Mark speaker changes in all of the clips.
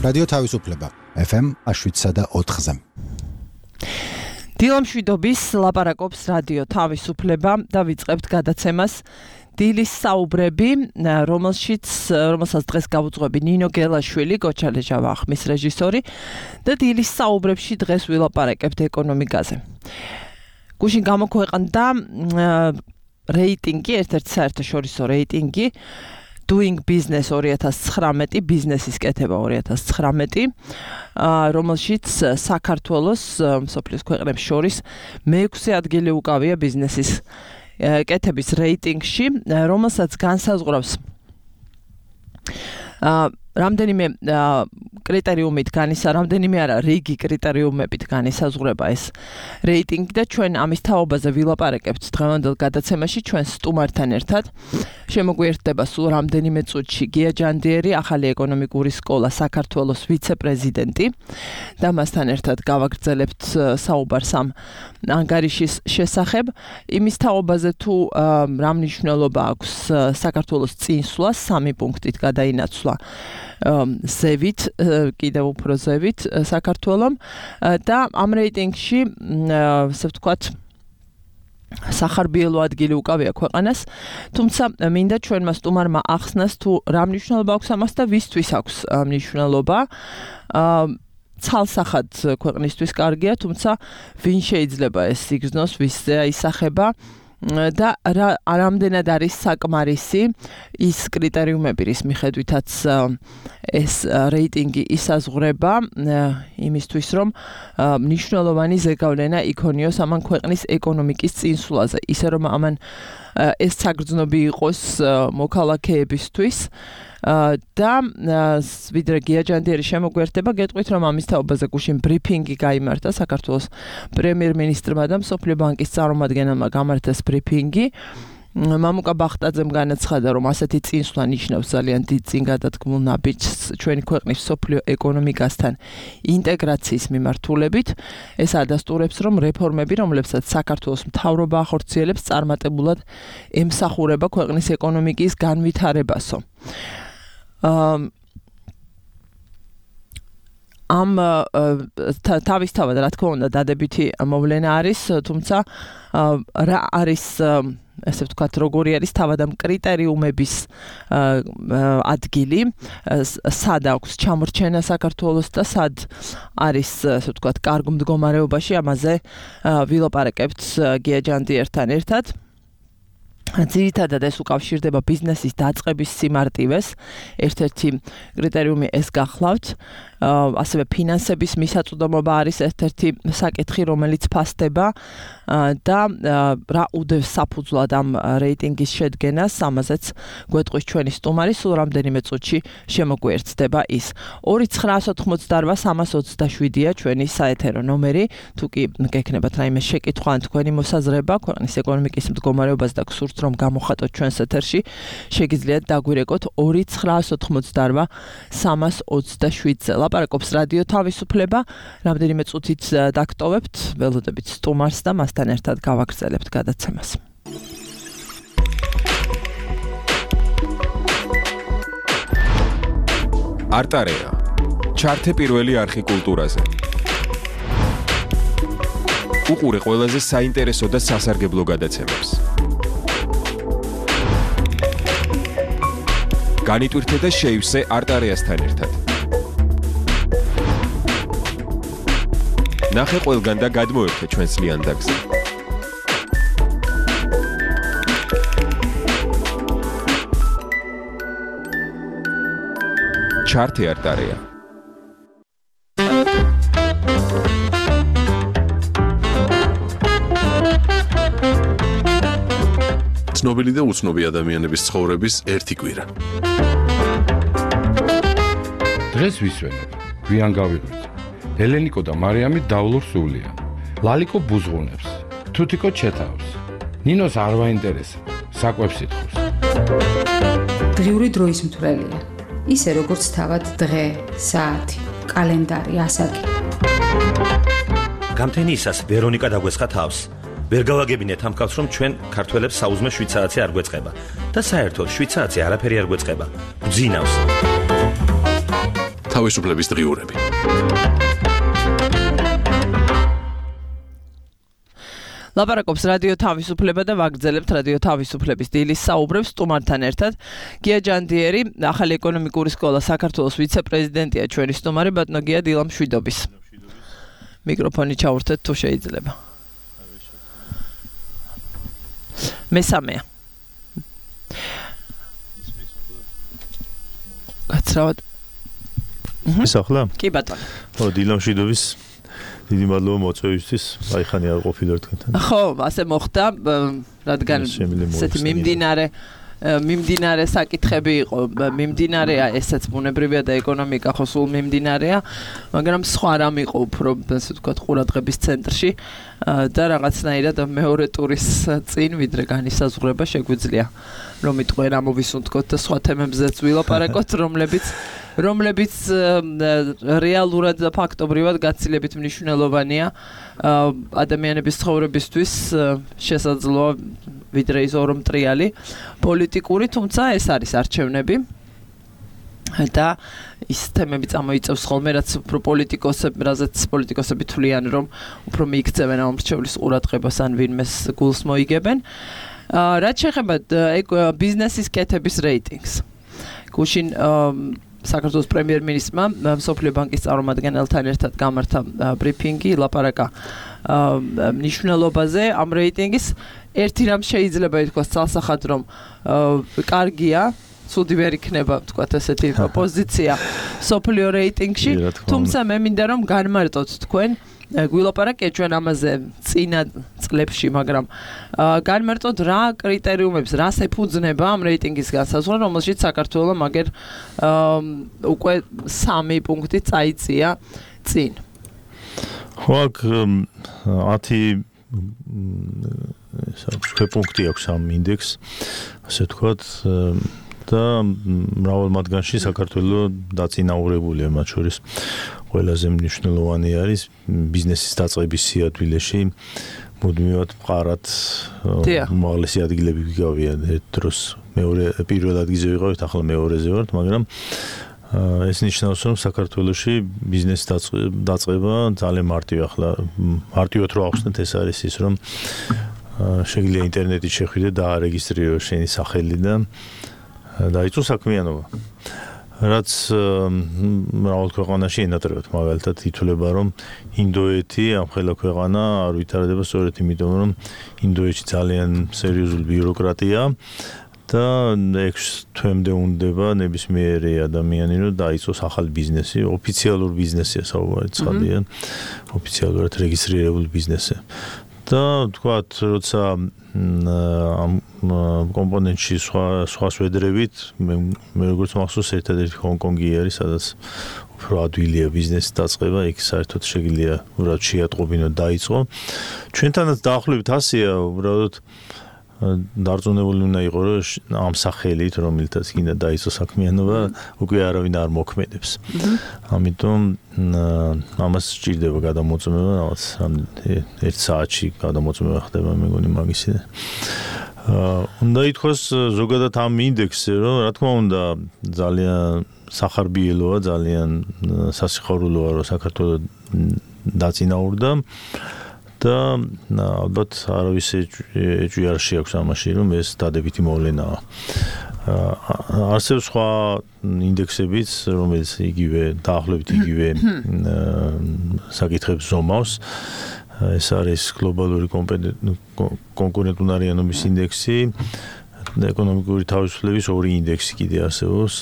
Speaker 1: რადიო თავისუფლება FM 7.4-ზე.
Speaker 2: დილამშვიდობის ლაპარაკობს რადიო თავისუფლება და ვიწყებთ გადაცემას დილის საუბრები, რომელსაც დღეს გავუძღვები ნინო გელაშვილი, გოჩალეჟა ვახმის რეჟისორი და დილის საუბრებში დღეს ვილაპარაკებთ ეკონომიკაზე. გუშინ გამოქვეყნდა რეიტინგი, ერთ-ერთი საერთაშორისო რეიტინგი Doing Business 2019, ბიზნესის კეთება 2019, რომელშიც საქართველოს მსოფლიოს ქვეყნებს შორის მე-6 ადგილი უკავია ბიზნესის კეთების რეიტინგში, რომელსაც განსაზღვრავს რამდენიმე კრიტერიუმით რამდენიმე არა რიგი კრიტერიუმებით განისაზღვრება ეს რეიტინგი და ჩვენ ამის თაობაზე ვილაპარაკებთ დღევანდელ გადაცემაში ჩვენ სტუმართან ერთად. შემოგვიერთდება სულ რამდენიმე წუთში გია ჯანდიერი, ახალი ეკონომიკური სკოლა საქართველოს ვიცე-პრეზიდენტი და მასთან ერთად გავაგრძელებთ საუბარს ამ ანგარიშის შესახებ. იმის თაობაზე თუ რა მნიშვნელობა აქვს საქართველოს წინსვლას 3 პუნქტით გადაინაცვლა ზევით, კიდევ უფრო ზევით საქართველომ და ამ რეიტინგში, ასე ვთქვათ, სახარბიელო ადგილი უკავია ქვეყანას, თუმცა მინდა ჩვენმა სტუმარმა ახსნას თუ რა მნიშვნელობა აქვს ამას და ვისთვის აქვს მნიშვნელობა. ცალსახად ქვეყნისთვის კარგია, თუმცა ვინ შეიძლება ეს იგრძნოს, ვისზე აისახება და რამდენად არის საკმარისი ის კრიტერიუმები, რის მიხედვითაც ეს რეიტინგი ისაზღვრება იმისთვის, რომ მნიშვნელოვანი ზეგავლენა იქონიოს ამან ქვეყნის ეკონომიკის წინსვლაზე, ისე რომ ამან ეს საგრძნობი იყოს მოქალაქეებისთვის და ვიდრე გია ჯანდიერი შემოგვიერთდება, გეტყვით, რომ ამის თაობაზე გუშინ ბრიფინგი გაიმართა საქართველოს პრემიერ-მინისტრმა და მსოფლიო ბანკის წარმომადგენელმა გამართეს ბრიფინგი. მამუკა ბახტაძემ განაცხადა, რომ ასეთი წინსვლა ნიშნავს ძალიან დიდ წინგადადგმულ ნაბიჯს ჩვენი ქვეყნის მსოფლიო ეკონომიკასთან ინტეგრაციის მიმართულებით. ეს ადასტურებს, რომ რეფორმები, რომლებსაც საქართველოს მთავრობა ახორციელებს, წარმატებულად ემსახურება ქვეყნის ეკონომიკის განვითარებასო. ამ თავისთავად, რა თქმა უნდა, დადებითი მოვლენა არის, თუმცა რა არის, ასე ვთქვათ, როგორი არის თავად ამ კრიტერიუმების ადგილი, სად აქვს ჩამორჩენა საქართველოს და სად არის, ასე ვთქვათ, კარგ მდგომარეობაში, ამაზე ვილაპარაკებთ გია ჯანდიერთან ერთად. ძირითადად ეს უკავშირდება ბიზნესის დაწყების სიმარტივეს. ერთ-ერთი კრიტერიუმი ეს გახლავთ. ასევე ფინანსების მისაწვდომობა არის ერთ-ერთი საკითხი, რომელიც ფასდება და რა უდევს საფუძვლად ამ რეიტინგის შედგენას, ამაზეც გვეტყვის ჩვენი სტუმარი, სულ რამდენიმე წუთში შემოგვიერთდება ის. 2988327-ია ჩვენი საეთერო ნომერი, თუ კი გექნებათ რაიმე შეკითხვა ან თქვენი მოსაზრება ქვეყნის ეკონომიკის მდგომარეობას და გსურთ, რომ გამოხატოთ ჩვენს ეთერში, შეგიძლიათ დაგვირეკოთ 298-327-ზე. ლაპარაკობს რადიო თავისუფლება, რამდენიმე წუთით დაგტოვებთ, ველოდებით სტუმარს და მასთან ერთად გავაგრძელებთ გადაცემას.
Speaker 3: არტარეა. ჩართე პირველი არხი კულტურაზე. უყურე ყველაზე საინტერესო და სასარგებლო გადაცემებს. განიტვირთე და შეივსე არტარეასთან ერთად. ნახე ყველგან და გადმოერთე ჩვენს ლიანდაგზე. ჩართე არტარეა.
Speaker 4: ცნობილი და უცნობი ადამიანების ცხოვრების ერთი კვირა.
Speaker 5: დღეს ვისვენებ, გვიან გავიღვიძე. ელენიკო და მარიამი დავლურ სულიან. ლალიკო ბუზღუნებს, თუთიკო ჩეთავს. ნინოს არ ვაინტერესებს, საკვებს ითხოვს.
Speaker 6: დღიური დროის მთვრელია. ისე როგორც თავად დღე, საათი, კალენდარი, ასაკი.
Speaker 7: გამთენიისას ვერონიკა დაგვესხა თავს. ვერ გავაგებინეთ ამ კაცს, რომ ჩვენ ქართველებს საუზმე 7 საათი არ გვეწყება და საერთოდ 7 საათი არაფერი არ გვეწყება. გძინავს.
Speaker 4: თავისუფლების დღიურები.
Speaker 2: ლაპარაკობს რადიო თავისუფლება და ვაგრძელებთ რადიო თავისუფლების დილის საუბრებს სტუმართან ერთად. გია ჯანდიერი, ახალი ეკონომიკური სკოლა საქართველოს ვიცე-პრეზიდენტია ჩვენი სტუმარი ბატონო გია დილამშვიდობის. მიკროფონი ჩაურთეთ თუ შეიძლება. მესამეა. გაცრავად.
Speaker 8: ისახლა?
Speaker 2: კი ბატონო.
Speaker 8: ხო, დილამშვიდობის. დიდი მადლობა მოწვევისთვის. აი ხანი არ ყოფილიყო თქვენთან.
Speaker 2: ხო, ასე მოხდა, რადგან ესეთი მიმდინარე საკითხები იყო, მიმდინარეა ესეც ბუნებრივია და ეკონომიკა ხო სულ მიმდინარეა, მაგრამ სხვა რამ იყო უფრო, ასე ვთქვათ, ყურადღების ცენტრში და რაღაცნაირად მეორე ტურის წინ ვიდრე განისაზღვრება შეგვიძლია რომ იტყვენ ამოვისუნთქოთ და სხვა თემებზეც ვილაპარაკოთ, რომლებიც რეალურად და ფაქტობრივად გაცილებით მნიშვნელოვანია ადამიანების ცხოვრებისთვის შესაძლოა ვიდრე ის ორმტრიალი პოლიტიკური, თუმცა ეს არის არჩევნები და ის თემები წამოიწევს ხოლმე, რაც უფრო პოლიტიკოსები თვლიან, რომ უფრო მიიქცევენ ამ მრჩევლის ყურადღებას ან ვინმეს გულს მოიგებენ. რაც შეეხება ბიზნესის კეთების რეიტინგს. გუშინ საქართველოს პრემიერ-მინისტრმა მსოფლიო ბანკის წარმომადგენელთან ერთად გამართა ბრიფინგი, ლაპარაკა მნიშვნელობაზე ამ რეიტინგის. ერთი რამ შეიძლება ითქვას ცალსახად, რომ კარგია, ცუდი ვერ იქნება, ვთქვათ, ესეთი პოზიცია მსოფლიო რეიტინგში, თუმცა მე მინდა რომ განმარტოთ თქვენ გვილაპარაკეთ ჩვენ ამაზე წინა წლებში, მაგრამ განმარტოთ რა კრიტერიუმებს, რას ეფუძნება ამ რეიტინგის განსაზღვრა, რომელშიც საქართველოს მაგერ უკვე 3 პუნქტი წაიწია წინ.
Speaker 8: ხო, აქ 10 პუნქტი აქვს ამ ინდექსს, ასე ვთქვათ, და მრავალ მათგანში საქართველოს დაწინაურებულია, მათ შორის ყველაზე მნიშვნელოვანი არის ბიზნესის დაწყების სიადვილეში მუდმივად მყარად უმაღლესი ადგილები ვიგავია ერთ დროს. პირველ ადგილზე ვიყავით, ახლა მეორეზე ვართ, მაგრამ ეს ნიშნავს, რომ საქართველოში ბიზნესის დაწყება ძალიან მარტივია. ახლა მარტივად რო ახსნათ, ეს არის ის, რომ შეგიძლია ინტერნეტით შეხვიდე და არეგისტრირო შენი სახელი და დაიწყო საქმიანობა. რაც მრავალ ქვეყანაში ენატრებათ, მაგალითად ითვლება, რომ ინდოეთი ამ ხელა ქვეყანა არ ვითარდება სწორედ იმიტომ, რომ ინდოეთში ძალიან სერიოზული ბიუროკრატია და 6 თვემდე უნდება ნებისმიერი ადამიანი, რომ დაიწყოს ახალი ბიზნესი, ოფიციალური ბიზნესია საუბარი, ცხადია, ოფიციალურად რეგისტრირებული ბიზნესი. და თქვათ, როცა ამ კომპონენტში სხვა სვედრებით, მე როგორც მახსოვს, ერთადერთი ჰონკონგი არის, სადაც უფრო ადვილია ბიზნესის დაწყება, იქ საერთოდ შეგიძლია უბრალოდ შეატყობინო დაიწყო. ჩვენთანაც დაახლოებით ასეა, უბრალოდ დარწმუნებული უნდა იყო, რომ ამ სახელით, რომელთაც კიდე დაიწყო საქმიანობა, უკვე არავინ არ მოქმედებს. ამიტომ ამას სჭირდება გადამოწმება, რაღაც 1 საათში გადამოწმება ხდება, მეგონი მაგისი. უნდა ითქვას ზოგადად ამ ინდექსზე, რომ რა თქმა უნდა ძალიან სახარბიელოა, ძალიან სასიხარულოა, რომ საქართველოს დაწინაურდა. და ალბათ არავის ეჭვი არ შეაქვს ამაში, რომ ეს დადებითი მოვლენაა. არსებობს სხვა ინდექსებიც, რომელიც დაახლოებით იგივე საკითხებს ზომავს. ეს არის გლობალური კონკურენტუნარიანობის ინდექსი, ეკონომიკური თავისუფლების 2 ინდექსი კიდე არსებობს.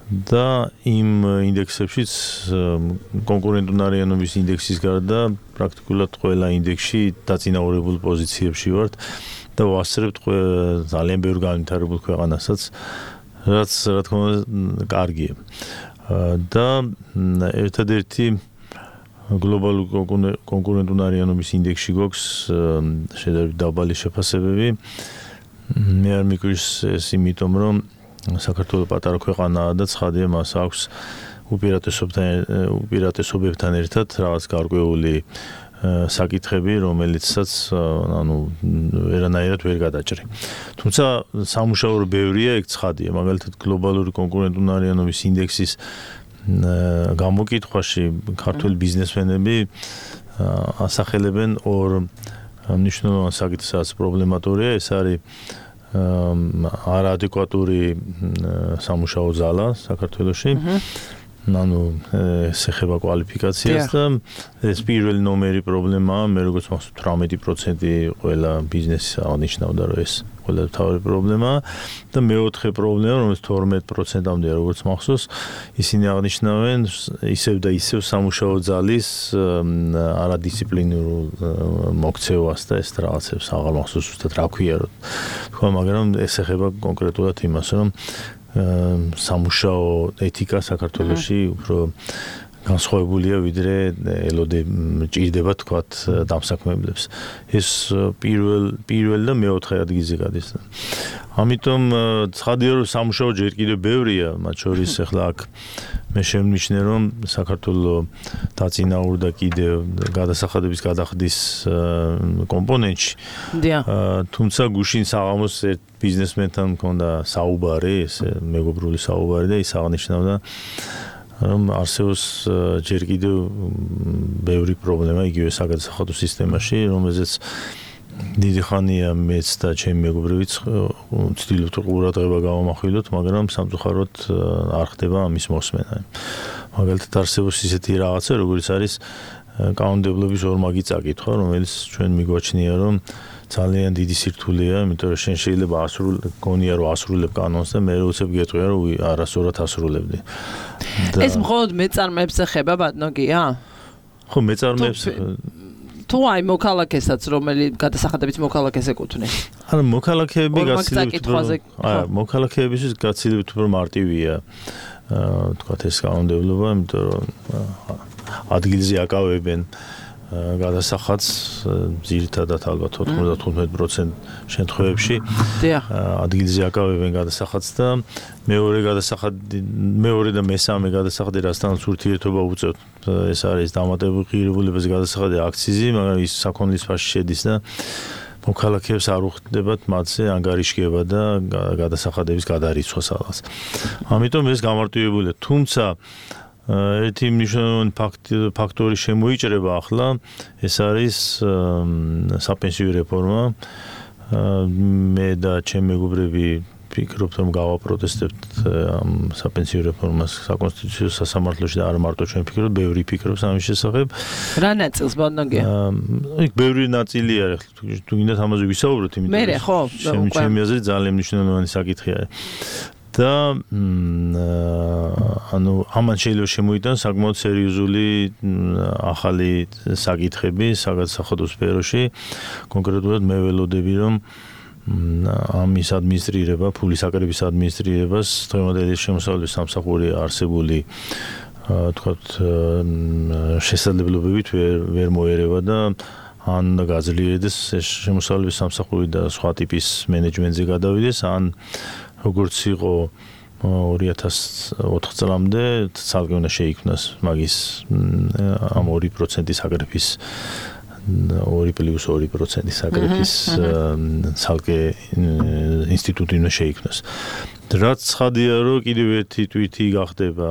Speaker 8: და იმ ინდექსებშიც კონკურენტუნარიანობის ინდექსის გარდა პრაქტიკულად ყველა ინდექსში დაწინაურებულ პოზიციებში ვართ და ვასწრებთ ძალიან ბევრ განვითარებულ ქვეყანასაც, რაც რა თქმა უნდა კარგია. და ერთადერთი გლობალური კონკურენტუნარიანობის ინდექსში გვაქვს შედარებით დაბალი შეფასებები. მე არ მიგვიშვს ეს იმიტომ, რომ საქართველოს პატარა ქვეყანაა და ცხადია, მას აქვს უპირატესობებთან ერთად რაღაც გარკვეული საკითხები, რომელიცაც ვერანაირად ვერ გადაჭრი. თუმცა სამუშაო ბევრია, ეგ ცხადია. მაგალითად, გლობალური კონკურენტუნარიანობის ინდექსის გამოკითხვაში ქართული ბიზნესმენები ასახელებენ ორ მნიშვნელოვან საკითხს, რაც პრობლემატურია, ეს არის არაადეკვატური სამუშაო ზალა საქართველოში. ანუ ეს ეხება კვალიფიკაციას და ეს პირველი ნომერი პრობლემაა, მე როგორც მახსოვს 18% ყველა ბიზნესის აღნიშნავდა, რომ ეს ყველა თავი პრობლემაა და მეოთხე პრობლემა, რომელიც 12%-ამდე როგორც მახსოვს, ისინი აღნიშნავენ ისევ და ისევ სამუშაო ძალის არადისციპლინურულ მოქცევას და ეს რაღაცებს აღარ მახსოვს ზუსტად რა ქვია, თქვა, მაგრამ ეს ეხება კონკრეტულად იმას, რომ სამუშაო ეთიკა საქართველოში უფრო განსხვავებულია ვიდრე ელოდე ჭირდება თქვათ დამსაქმებლებს. ეს პირველ და მეოთხე ადგილზე გადის. ამიტომ ცხადია რომ სამუშაო ჯერ კიდევ ბევრია, მათ შორის ახლა აქ მე შემნიშნე რომ საქართველოს დაწინაურდა კიდევ გადასახადების გადახდის კომპონენტში. თუმცა გუშინ საღამოს ერთ ბიზნესმენთან მქონდა საუბარი, ეს მეგობრული საუბარი და ის აღნიშნავდა რომ არსებობს ჯერ კიდევ ბევრი პრობლემა იგივე საგადასახადო სისტემაში, რომელზეც დიდი ხანია მეც და ჩემი მეგობრებიც ვცდილობთ ყურადღება გავამახვილოთ, მაგრამ სამწუხაროდ არ ხდება ამის მოსმენა. მაგალითად არსებობს ისეთი რაღაცა, როგორც არის კანონმდებლობის ორმაგი წაკითხვა, რომელიც ჩვენ მიგვაჩნია, რომ ძალიან დიდი სირთულეა, იმიტომ რომ შენ შეიძლება გონია რომ ასრულებ კანონს და მე უცებ გეტყვია რომ არასწორად ასრულებდი.
Speaker 2: ეს მხოლოდ მეწარმეებს ეხება ბატონგია?
Speaker 8: ხო, მეწარმეებს
Speaker 2: თუ აი მოქალაქესაც, რომელიც გადასახადების მოქალაქეს ეკუთვნის.
Speaker 8: ანუ მოქალაქეები მოქალაქეებისთვის გაცილებით უფრო მარტივია თქვათ ეს კანონმდებლობა, იმიტომ რომ ადგილზე აკავებენ გადასახადს ძირითადად ალბათ 95% შემთხვევებში ადგილზე აკავებენ გადასახადს და მეორე და მესამე გადასახადი რასთანაც ურთიერთობა უწევთ, ეს არის დამატებულ ღირებულებაზე გადასახადი აქციზი, მაგრამ ის საქონლის ფასში შედის და მოქალაქეებს არ უხდებათ მათზე ანგარიშგება და გადასახადების გადარიცვა სადღაც. ამიტომ ეს გამარტივებულია, თუმცა ერთი მნიშვნელოვანი ფაქტორი შემოიჭრება ახლა, ეს არის საპენსიო რეფორმა. მე და ჩემი მეგობრები ვფიქრობთ, რომ გავაპროტესტებთ ამ საპენსიო რეფორმას საკონსტიტუციო სასამართლოში და არა მარტო ჩვენ ვფიქრობთ, ბევრი ფიქრობს ამის შესახებ.
Speaker 2: რა ნაწილს ბატონგია?
Speaker 8: იქ ბევრი ნაწილი არის, თუ გინდათ ამაზე ვისაუბროთ,
Speaker 2: მე ხო,
Speaker 8: ჩემი აზრით ძალიან მნიშვნელოვანი საკითხი არის. და ანუ ამან შეიძლება შემოიტანოს საკმაოდ სერიოზული ახალი საკითხები საგადასახადო სფეროში. კონკრეტულად მე ველოდები, რომ ამის ადმინისტრირება, ფულის აკრების ადმინისტრირებას დღევანდელი შემოსავლის სამსახური არსებული თქვათ შესაძლებლობებით ვერ მოერევა და ან გაძლიერდეს ეს შემოსავლის სამსახური და სხვა ტიპის მენეჯმენტზე გადავიდეს, ან როგორც იყო 2004 წლამდე ცალკე უნდა შეიქმნას მაგის ამ 2% საგრეფის 2+2% საგრეფის ცალკე ინსტიტუტი უნდა შეიქმნას. რაც ცხადია, რომ კიდევ ერთი თვითი გახდება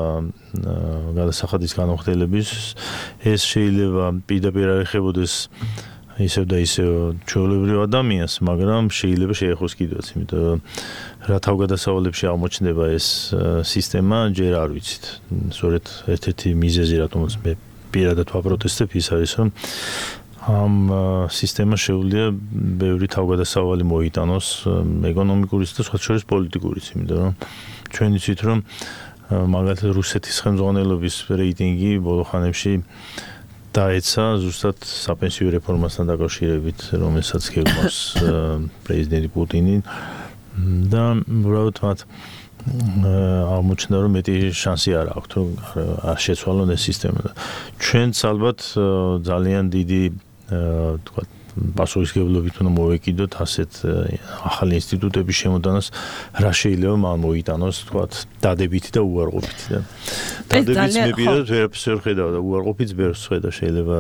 Speaker 8: გადასახადის განხორციელების, ეს შეიძლება პირდაპირ არ ეხებოდეს ისევ და ისევ ჩვეულებრივ ადამიანს, მაგრამ შეიძლება შეეხოს კიდევაც, იმიტომ რომ რა თავგადასავლებში აღმოჩნდება ეს სისტემა, ჯერ არ ვიცით. სწორედ ერთ-ერთი მიზეზი, რატომაც მე პირადად ვაპროტესტებ, ის არის, რომ ამ სისტემას შეუძლია ბევრი თავგადასავალი მოიტანოს ეკონომიკურიც და სხვა შორის პოლიტიკურიც, იმიტომ რომ ჩვენ ვიცით, რომ მაგალითად რუსეთის ხელმძღვანელობის რეიტინგი ბოლო ხანებში დაეცა ზუსტად საპენსიო რეფორმასთან დაკავშირებით, რომელსაც გეგმავს პრეზიდენტი პუტინი და უბრალოდ მათ აღმოჩნდა, რომ მეტი შანსი არ აქვს, რომ შეცვალონ ეს სისტემა. ჩვენც ალბათ ძალიან დიდი თქვა პასუხისმგებლობით უნდა მოვეკიდოთ ასეთ ახალი ინსტიტუტების შემოდანას, რა შეიძლება მან მოიტანოს, თქვათ, დადებითი და უარყოფითი და დადებითს მე პირადად ვერაფერს ვერ ხედავ და უარყოფითს ბევრს ხედავ შეიძლება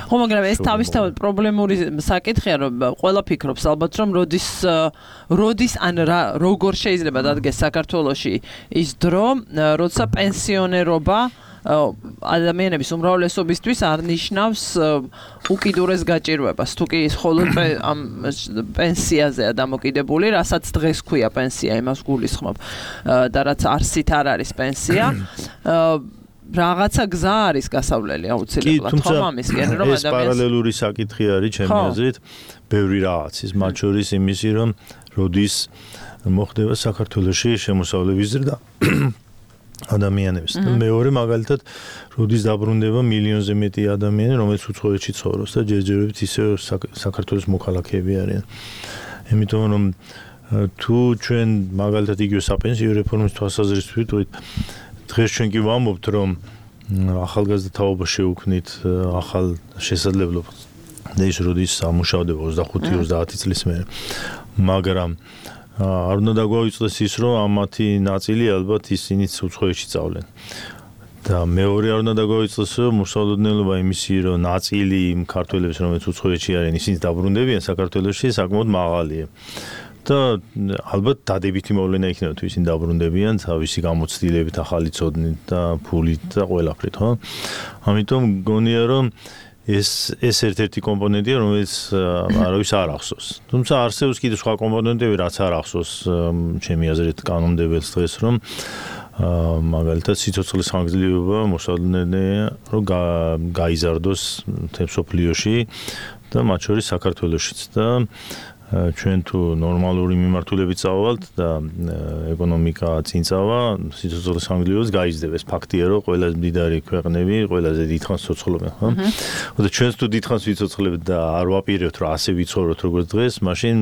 Speaker 2: ხო, მაგრამ ეს თავისთავად პრობლემური საკითხია, რომ ყველა ფიქრობს ალბათ, რომ როდის ან როგორ შეიძლება დადგეს საქართველოში ის დრო, როცა პენსიონერობა ადამიანების უმრავლესობისთვის არ ნიშნავს უკიდურეს გაჭირვებას. თუ კი მხოლოდ ამ პენსიაზეა დამოკიდებული, რასაც დღეს ქვია პენსია, იმას გულისხმობ და რაც არსით არ არის პენსია, რაღაცა გზა არის გასავლელი აუცილებლად ხომ ამისკენ, რომ
Speaker 8: ეს პარალელური საკითხი არის ჩემი აზრით, ბევრი რაღაცის, მათ შორის იმისი, რომ როდის მოხდება საქართველოში შემოსავლების ზრდა ადამიანების. მეორე მაგალითად, როდის დაბრუნდება მილიონზე მეტი ადამიანი, რომელიც უცხოეთში ცხოვრობს და ჯერჯერობით ისევ საქართველოს მოქალაქეები არიან. იმიტომ რომ თუ ჩვენ მაგალითად იგივე საპენსიო რეფორმის თვალსაზრისით დღეს ჩვენ კი ვამბობთ, რომ ახალგაზრდა თაობა შეუქმნით ახალ შესაძლებლობას და ის როდის ამუშავდება 25-30 წლის მერე. მაგრამ არ უნდა დაგვაუწყდეს ის, რომ ამათი ნაწილი ალბათ ისინიც უცხოეთში წავლენ. და მეორე არ უნდა დაგვაუწყდეს, რომ მოსავლოდნელობა იმისი, რომ ნაწილი იმ ქართველებს, რომელიც უცხოეთში არიან, ისინიც დაბრუნდებიან საქართველოში, საკმაოდ მაღალია. და ალბათ დადებითი მოვლენა იქნება, თუ ისინი დაბრუნდებიან თავისი გამოცდილებით, ახალი ცოდნით და ფულით და ყველაფრით, ხო? ამიტომ მგონია, რომ ეს ერთ-ერთი კომპონენტია, რომელიც არავის არ ახსოვს. თუმცა არსებობს კიდევ სხვა კომპონენტები, რაც არ ახსოვს ჩემი აზრით კანონმდებელს დღეს, რომ მაგალითად სიცოცხლის ხანგრძლივობა მოსალოდნელია, რომ გაიზარდოს მთელ მსოფლიოში და მათ შორის საქართველოშიც და ჩვენ თუ ნორმალური მიმართულებით წავალთ და ეკონომიკა წინ წავა, სიცოცხლის ხანგრძლივობას გაიზრდება. ეს ფაქტია, რომ ყველაზე მდიდარი ქვეყნები ყველაზე დიდხანს ცოცხლობენ, ხო? და ჩვენც თუ დიდხანს ვიცოცხლებთ და არ ვაპირებთ, რომ ასე ვიცხოვროთ როგორც დღეს, მაშინ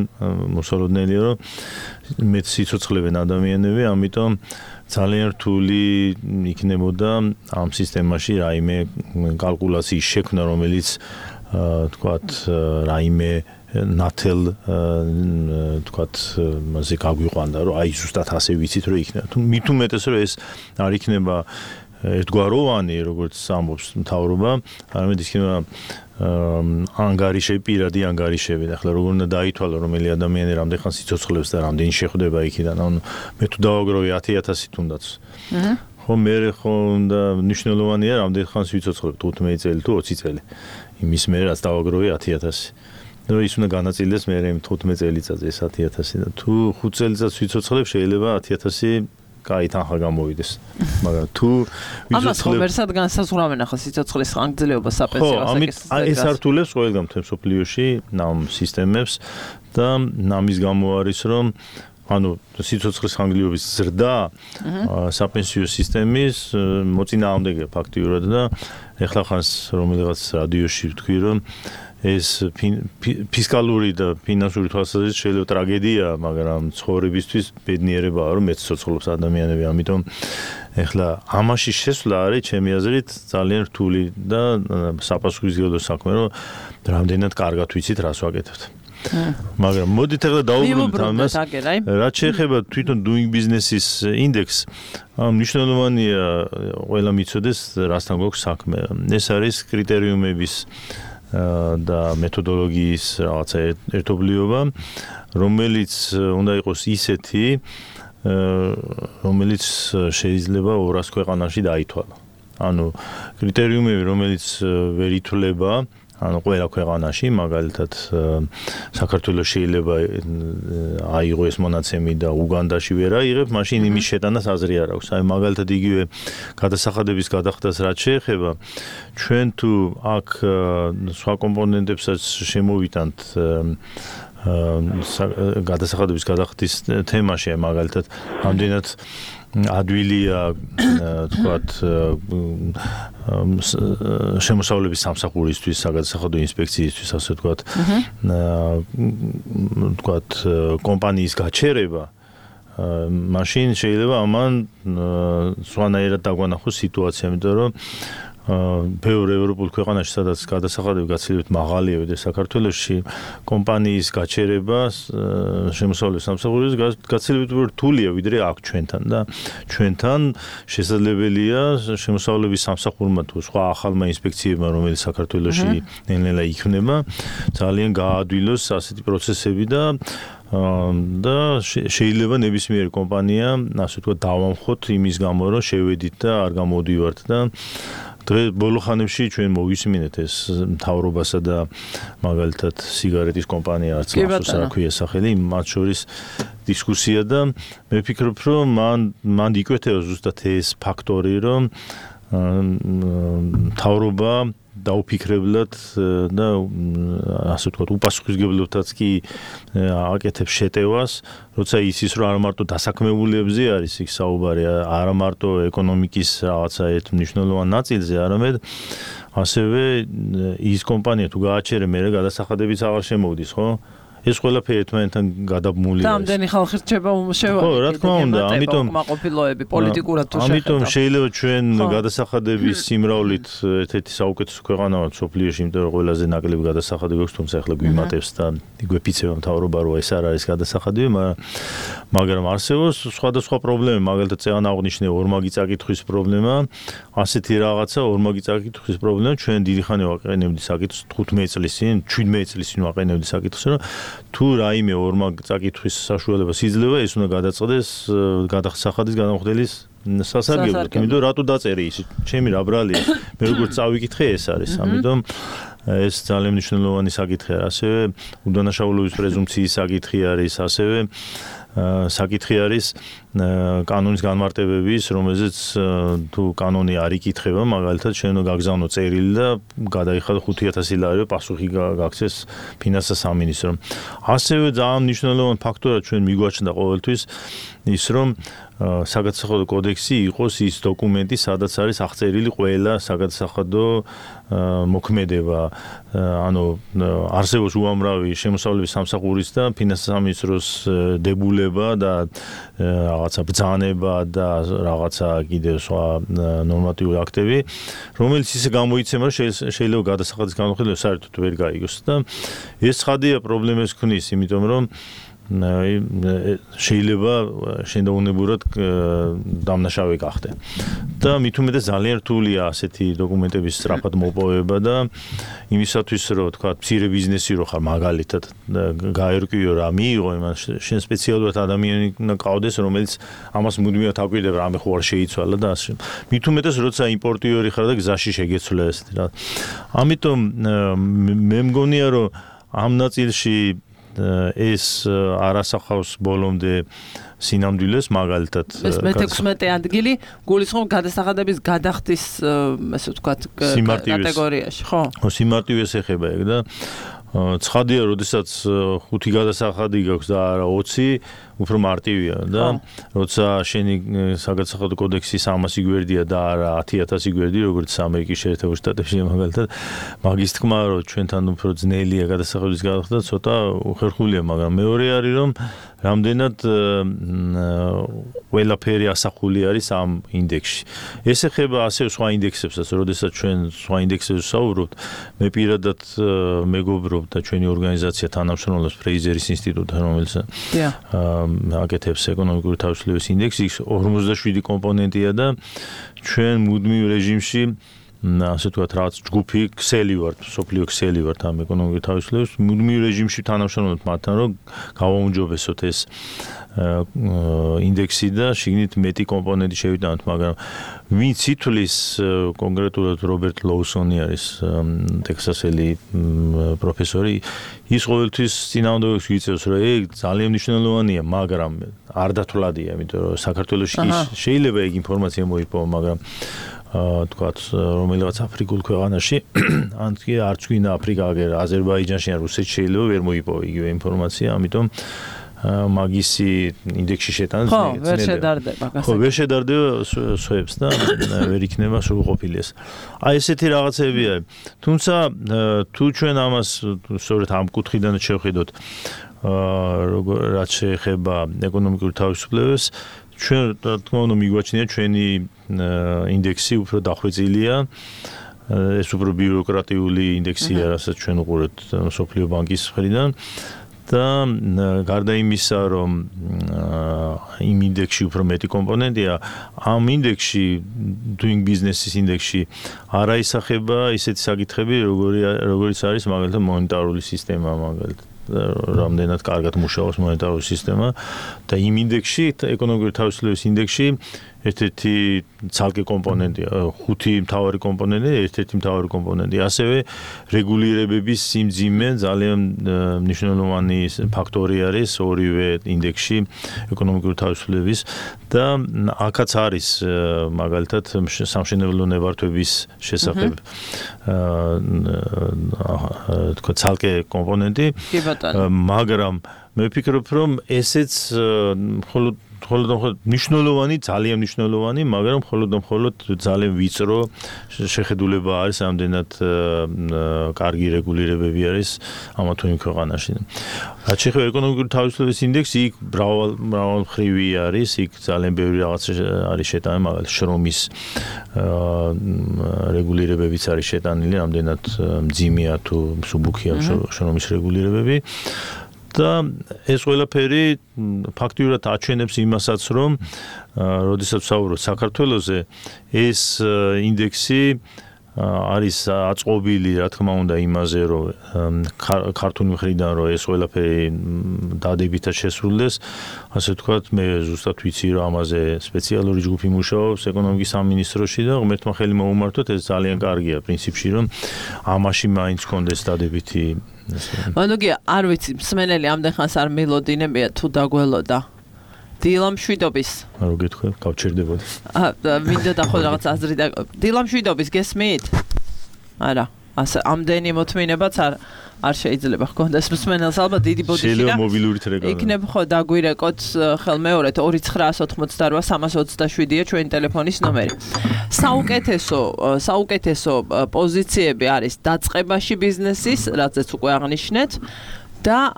Speaker 8: მოსალოდნელია, რომ მეც სიცოცხლებენ ადამიანები, ამიტომ ძალიან რთული იქნებოდა ამ სისტემაში რაიმე კალკულაციის შექმნა, რომელიც თქვათ რაიმე ნათელ თქვათ მასე გაგვიყვანდა, რომ აი ზუსტად ასე ვიცით, რომ იქნება. თუ მით უმეტეს, რომ ეს არ იქნება ერთგვაროვანი, როგორც ამბობს მთავრობა, არამედ იქნება ანგარიშები, პირადი ანგარიშები. ახლა როგორ უნდა დაითვალო, რომელი ადამიანი რამდენხანს სიცოცხლებს და რამდენი შეხვდება იქიდან. ანუ მე თუ დავაგროვე 10,000 თუნდაც. ხო, მე ხო უნდა მნიშვნელოვანია რამდენხანს ვიცოცხლებ, 15 წელი თუ 20 წელი. იმის მე რაც დავაგროვე 10,000. და ის უნდა განაწილდეს მე 15 წელიწადზე ეს 10,000 და თუ 5 წელიწადს ვიცოცხლებ, შეიძლება 10,000 კაი თანხა გამოვიდეს. მაგრამ თუ
Speaker 2: ამას ხომერსად განსაზღვრავენ ახლა სიცოცხლის ხანგრძლივობა საპენსიო ასაკის.
Speaker 8: ეს ართულებს ყველგან მთელ მსოფლიოში ნამ სისტემებს და ამის გამო არის, რომ ანუ სიცოცხლის ხანგრძლივობის ზრდა საპენსიო სისტემის მოწინააღმდეგეა ფაქტიურად და ეხლა ხანს რომელიღაც რადიოში ვთქვი, რომ ეს ფისკალური და ფინანსური თვალსაზრისით შეიძლება ტრაგედია, მაგრამ ცხოვრებისთვის ბედნიერებაა, რომ მეც ცოცხლობს ადამიანები, ამიტომ ეხლა ამაში შესვლა არის ჩემი აზრით ძალიან რთული და საპასუხისმგებლო საქმე, რომ რამდენად კარგად ვიცით რას ვაკეთებთ. მაგრამ მოდით ახლა დავუბრუნდეთ ამას. რაც შეეხება თვითონ doing business-ის ინდექსს, მნიშვნელოვანია ყველა მიცოდეს რასთან გვაქვს საქმე. ეს არის კრიტერიუმების და მეთოდოლოგიის რაღაცა ერთობლიობა, რომელიც უნდა იყოს ისეთი, რომელიც შეიძლება 200 ქვეყანაში დაითვალა. ანუ კრიტერიუმები, რომელიც ვერ ითვლება, ანუ ყველა ქვეყანაში, მაგალითად საქართველოს შეიძლება აიღო ეს მონაცემი და უგანდაში ვერ აიღებ, მაშინ იმის შეტანას აზრი არ აქვს. აი მაგალითად იგივე გადასახადების გადახდას რაც შეეხება, ჩვენ თუ აქ სხვა კომპონენტებსაც შემოვიტანთ გადასახადების გადახდის თემაში, მაგალითად ამდენად ადვილია თქვათ შემოსავლების სამსახურისთვის, საგადასახადო ინსპექციისთვის, ასე თქვათ კომპანიის გაჩერება, მაშინ შეიძლება ამან სხვანაირად დაგვანახოს სიტუაცია, იმიტომ რომ ბევრ ევროპულ ქვეყანაში, სადაც გადასახადები გაცილებით მაღალია ვიდრე საქართველოში, კომპანიის გაჩერება შემოსავლების სამსახურის გაცილებით რთულია ვიდრე აქ ჩვენთან და ჩვენთან შესაძლებელია შემოსავლების სამსახურმა თუ სხვა ახალმა ინსპექციებმა, რომელიც საქართველოში ნელ-ნელა იქმნება, ძალიან გაადვილოს ასეთი პროცესები და შეიძლება ნებისმიერი კომპანია, ასე ვთქვათ, დავამხოთ იმის გამო, რომ შევედით და არ გამოვდივართ და დღეს ბოლო ხანებში ჩვენ მოვისმინეთ ეს მთავრობასა და მაგალითად სიგარეტის კომპანია არც მახსოვს რა ქვია სახელი, მათ შორის დისკუსია და მე ვფიქრობ, რომ მან იკვეთება ზუსტად ეს ფაქტორი, რომ მთავრობა დაუფიქრებლად და ასე ვთქვათ, უპასუხისმგებლობითაც კი აკეთებს შეტევას, როცა იცის, რომ არა მარტო დასაქმებულებზე არის იქ საუბარი, არა მარტო ეკონომიკის რაღაცა ერთ მნიშვნელოვან ნაწილზე, არამედ ასევე ის კომპანია თუ გააჩერე, მერე გადასახადებიც აღარ შემოვდის, ხო? ეს ყველაფერი ერთმანეთთან გადაბმული არის.
Speaker 2: Რამდენი ხალხი რჩება
Speaker 8: ხო, რა თქმა უნდა, ამიტომ
Speaker 2: კმაყოფილოები პოლიტიკურად თუ
Speaker 8: შეხედავთ. ამიტომ შეიძლება ჩვენ გადასახადების სიმრავლით ერთ-ერთი საუკეთესო ქვეყანა ვართ სოფლიოში, იმიტომ რომ ყველაზე ნაკლები გადასახადები აქვს, თუმცა ახლა გვიმატებს და იგვეფიცება მთავრობა, რომ ეს არ არის გადასახადები, მაგრამ არსებობს სხვადასხვა პრობლემები, მაგალითად წეან აღნიშნე ორმაგი წაკითხვის პრობლემა, ასეთი რაღაცა ორმაგი წაკითხვის პრობლემა ჩვენ დიდი ხანი ვაყენებდი საკითხს 15 წლის წინ, 17 წლის წინ ვაყენებდი საკითხს, რომ თუ რაიმე ორმაგ წაკითხვის საშუალებას იძლევა, ეს უნდა გადაწყდეს გადასახადის განმხდელის სასარგებლოდ. იმიტომ რატო დაწერე ის? ჩემი რა ბრალია. მე როგორც წავიკითხე, ეს არის. ამიტომ ეს ძალიან მნიშვნელოვანი საკითხი არის. ასევე უდანაშაულობის პრეზუმპციის საკითხი არის, ასევე საკითხი არის კანონის განმარტებების, რომელზეც თუ კანონი არ იკითხება, მაგალითად შენ გაგზავნო წერილი და გადაიხადო 5,000 ლარი, პასუხი გაქცეს ფინანსთა სამინისტრომ. ასევე ძალიან მნიშვნელოვანი ფაქტორია ჩვენ მიგვაჩნდა ყოველთვის ის, რომ საგადასახადო კოდექსი იყოს ის დოკუმენტი, სადაც არის აღწერილი ყველა საგადასახადო მოქმედება, ანუ არსებობს უამრავი შემოსავლების სამსახურის და ფინანსთა სამინისტროს დებულება და რაღაცა ბრძანება და რაღაცა კიდევ სხვა ნორმატიული აქტები, რომელიც ისე გამოიცემა, რომ შეიძლება გადასახადის განმხილველი საერთოდ ვერ გაიგოს და ეს ცხადია პრობლემებს ქმნის, იმიტომ რომ შეიძლება შენდაუნებურად დამნაშავე გახდე. და მით უმეტეს ძალიან რთულია ასეთი დოკუმენტების სწრაფად მოპოვება და იმისათვის, რომ თქვა, მცირე ბიზნესი რო ხარ, მაგალითად გაერკვიო რა მიიღო, იმან შენ სპეციალურად ადამიანი უნდა ყავდეს, რომელიც ამას მუდმივად აკვირდება, რამე ხო არ შეიცვალა და ასე. მით უმეტეს, როცა იმპორტიორი ხარ და გზაში შეგეცვლა ესეთი რა. ამიტომ მე მგონია, რომ ამ ნაწილში ეს არასახავს ბოლომდე სინამდვილეს, მაგალითად
Speaker 2: მე-16 ადგილი გულისხმობ გადასახადების გადახდის, ასე ვთქვათ, კატეგორიაში, ხო?
Speaker 8: სიმარტივეს ეხება ეგ და ცხადია, როდესაც 5 გადასახადი გაქვს და არა 20, უფრო მარტივია და როცა შენი საგადასახადო კოდექსი 300 გვერდია და არა 10,000 გვერდი, როგორც ამერიკის შეერთებულ შტატებში მაგალითად, მაგის თქმა, რომ ჩვენთან უფრო ძნელია გადასახადების გადახდა, ცოტა უხერხულია, მაგრამ მეორე არის, რომ რამდენად ყველაფერი ასახული არის ამ ინდექსში. ეს ეხება ასევე სხვა ინდექსებსაც, როდესაც ჩვენ სხვა ინდექსებზე ვსაუბრობთ, მე პირადად მეგობრობ და ჩვენი ორგანიზაცია თანამშრომლობს ფრეიზერის ინსტიტუტთან, რომელიც აკეთებს ეკონომიკური თავისუფლების ინდექსი, 47 კომპონენტია და ჩვენ მუდმივ რეჟიმში ასე ვთქვათ, რაც ჯგუფი ქსელი ვართ, სოფლიო ქსელი ვართ ამ ეკონომიკური თავისუფლების, მუდმივ რეჟიმში თანამშრომლობთ მათთან, რომ გავაუმჯობესოთ ეს ინდექსი და შიგნით მეტი კომპონენტი შევიტანოთ, მაგრამ ვინც ითვლის კონკრეტულად რობერტ ლოუსონი არის ტექსასელი პროფესორი, ის ყოველთვის წინააღმდეგობას ვიწევს, რომ ეგ ძალიან მნიშვნელოვანია, მაგრამ არ დათვლადია, იმიტომ რომ საქართველოში შეიძლება ეგ ინფორმაცია მოიპოვა, მაგრამ თქვათ, რომელიღაც აფრიკულ ქვეყანაში, ან კი არც ვინ აფრიკა, აზერბაიჯანში ან რუსეთში შეიძლება ვერ მოიპოვა იგივე ინფორმაცია, ამიტომ მაგისი ინდექსში შეტანა
Speaker 2: ძნელია. ვერ შედარდება.
Speaker 8: ხო, ვერ შედარდება სხვებს და ვერ იქნება სრულყოფილი ეს. აი ესეთი რაღაცები არის. თუმცა თუ ჩვენ ამას სწორედ ამ კუთხიდან შევხედოთ, რაც შეეხება ეკონომიკურ თავისუფლებას, ჩვენ რა თქმა უნდა მიგვაჩნია ჩვენი ინდექსი უფრო დახვეწილია. ეს უფრო ბიუროკრატიული ინდექსია, რასაც ჩვენ უყურებთ სოფლიო ბანკის მხრიდან. და გარდა იმისა, რომ იმ ინდექსში უფრო მეტი კომპონენტია, ამ ინდექსში doing business-ის ინდექსში არ აისახება ისეთი საკითხები, როგორიც არის მაგალითად მონეტარული სისტემა, მაგალითად რამდენად კარგად მუშაობს მონეტარული სისტემა და იმ ინდექსში, ეკონომიკური თავისუფლების ინდექსში ერთ-ერთი ცალკე კომპონენტია, 5 მთავარი კომპონენტია, ერთ-ერთი მთავარი კომპონენტია. ასევე რეგულირებების სიმძიმე ძალიან მნიშვნელოვანი ფაქტორი არის ორივე ინდექსში ეკონომიკური თავისუფლების და აქაც არის მაგალითად სამშენებლო ნებართვების შესახებ თქვა ცალკე კომპონენტი, მაგრამ მე ვფიქრობ, რომ ესეც მხოლოდ მნიშვნელოვანი, ძალიან მნიშვნელოვანი, მაგრამ მხოლოდ ძალიან ვიწრო შეხედულება არის, ამდენად კარგი რეგულირებები არის ამა თუ იმ ქვეყანაში. რაც შეეხება ეკონომიკური თავისუფლების ინდექსი, იქ მრავალმხრივი არის, იქ ძალიან ბევრი რაღაცა არის შეტანილი, მაგალითად შრომის რეგულირებებიც არის შეტანილი, ამდენად მძიმეა თუ მსუბუქია შრომის რეგულირებები. და ეს ყველაფერი ფაქტიურად აჩვენებს იმასაც, რომ როდესაც ვსაუბრობთ საქართველოზე, ეს ინდექსი არის აწყობილი, რა თქმა უნდა, იმაზე, რომ ქართული მხრიდან რომ ეს ყველაფერი დადებითად შესრულდეს, ასე ვთქვათ, მე ზუსტად ვიცი, რომ ამაზე სპეციალური ჯგუფი მუშაობს ეკონომიკის სამინისტროში და ღმერთმა ხელი მოუმართოთ, ეს ძალიან კარგია პრინციპში, რომ ამაში მაინც კონდეს დადებითი.
Speaker 2: მანუგია, არ ვიცი, მსმენელი ამდენ ხანს არ მელოდინებია თუ დაგველოდა. დილამშვიდობის.
Speaker 8: რო გითხრა, გავჩერდებოდი.
Speaker 2: მინდოდა ხო რაღაც აზრი და დილამშვიდობის გესმით? არა, ასე ამდენი მოთმინებაც არ შეიძლება ჰქონდეს მსმენელს, ალბათ დიდი ბოდიში და
Speaker 8: შეიძლება მობილურით რეკამა.
Speaker 2: იქნებ ხო დაგვირეკოთ ხელმეორედ 2988-27-ია ჩვენი ტელეფონის ნომერი. საუკეთესო პოზიციები არის დაწყებაში ბიზნესის, რაცაც უკვე აღნიშნეთ. და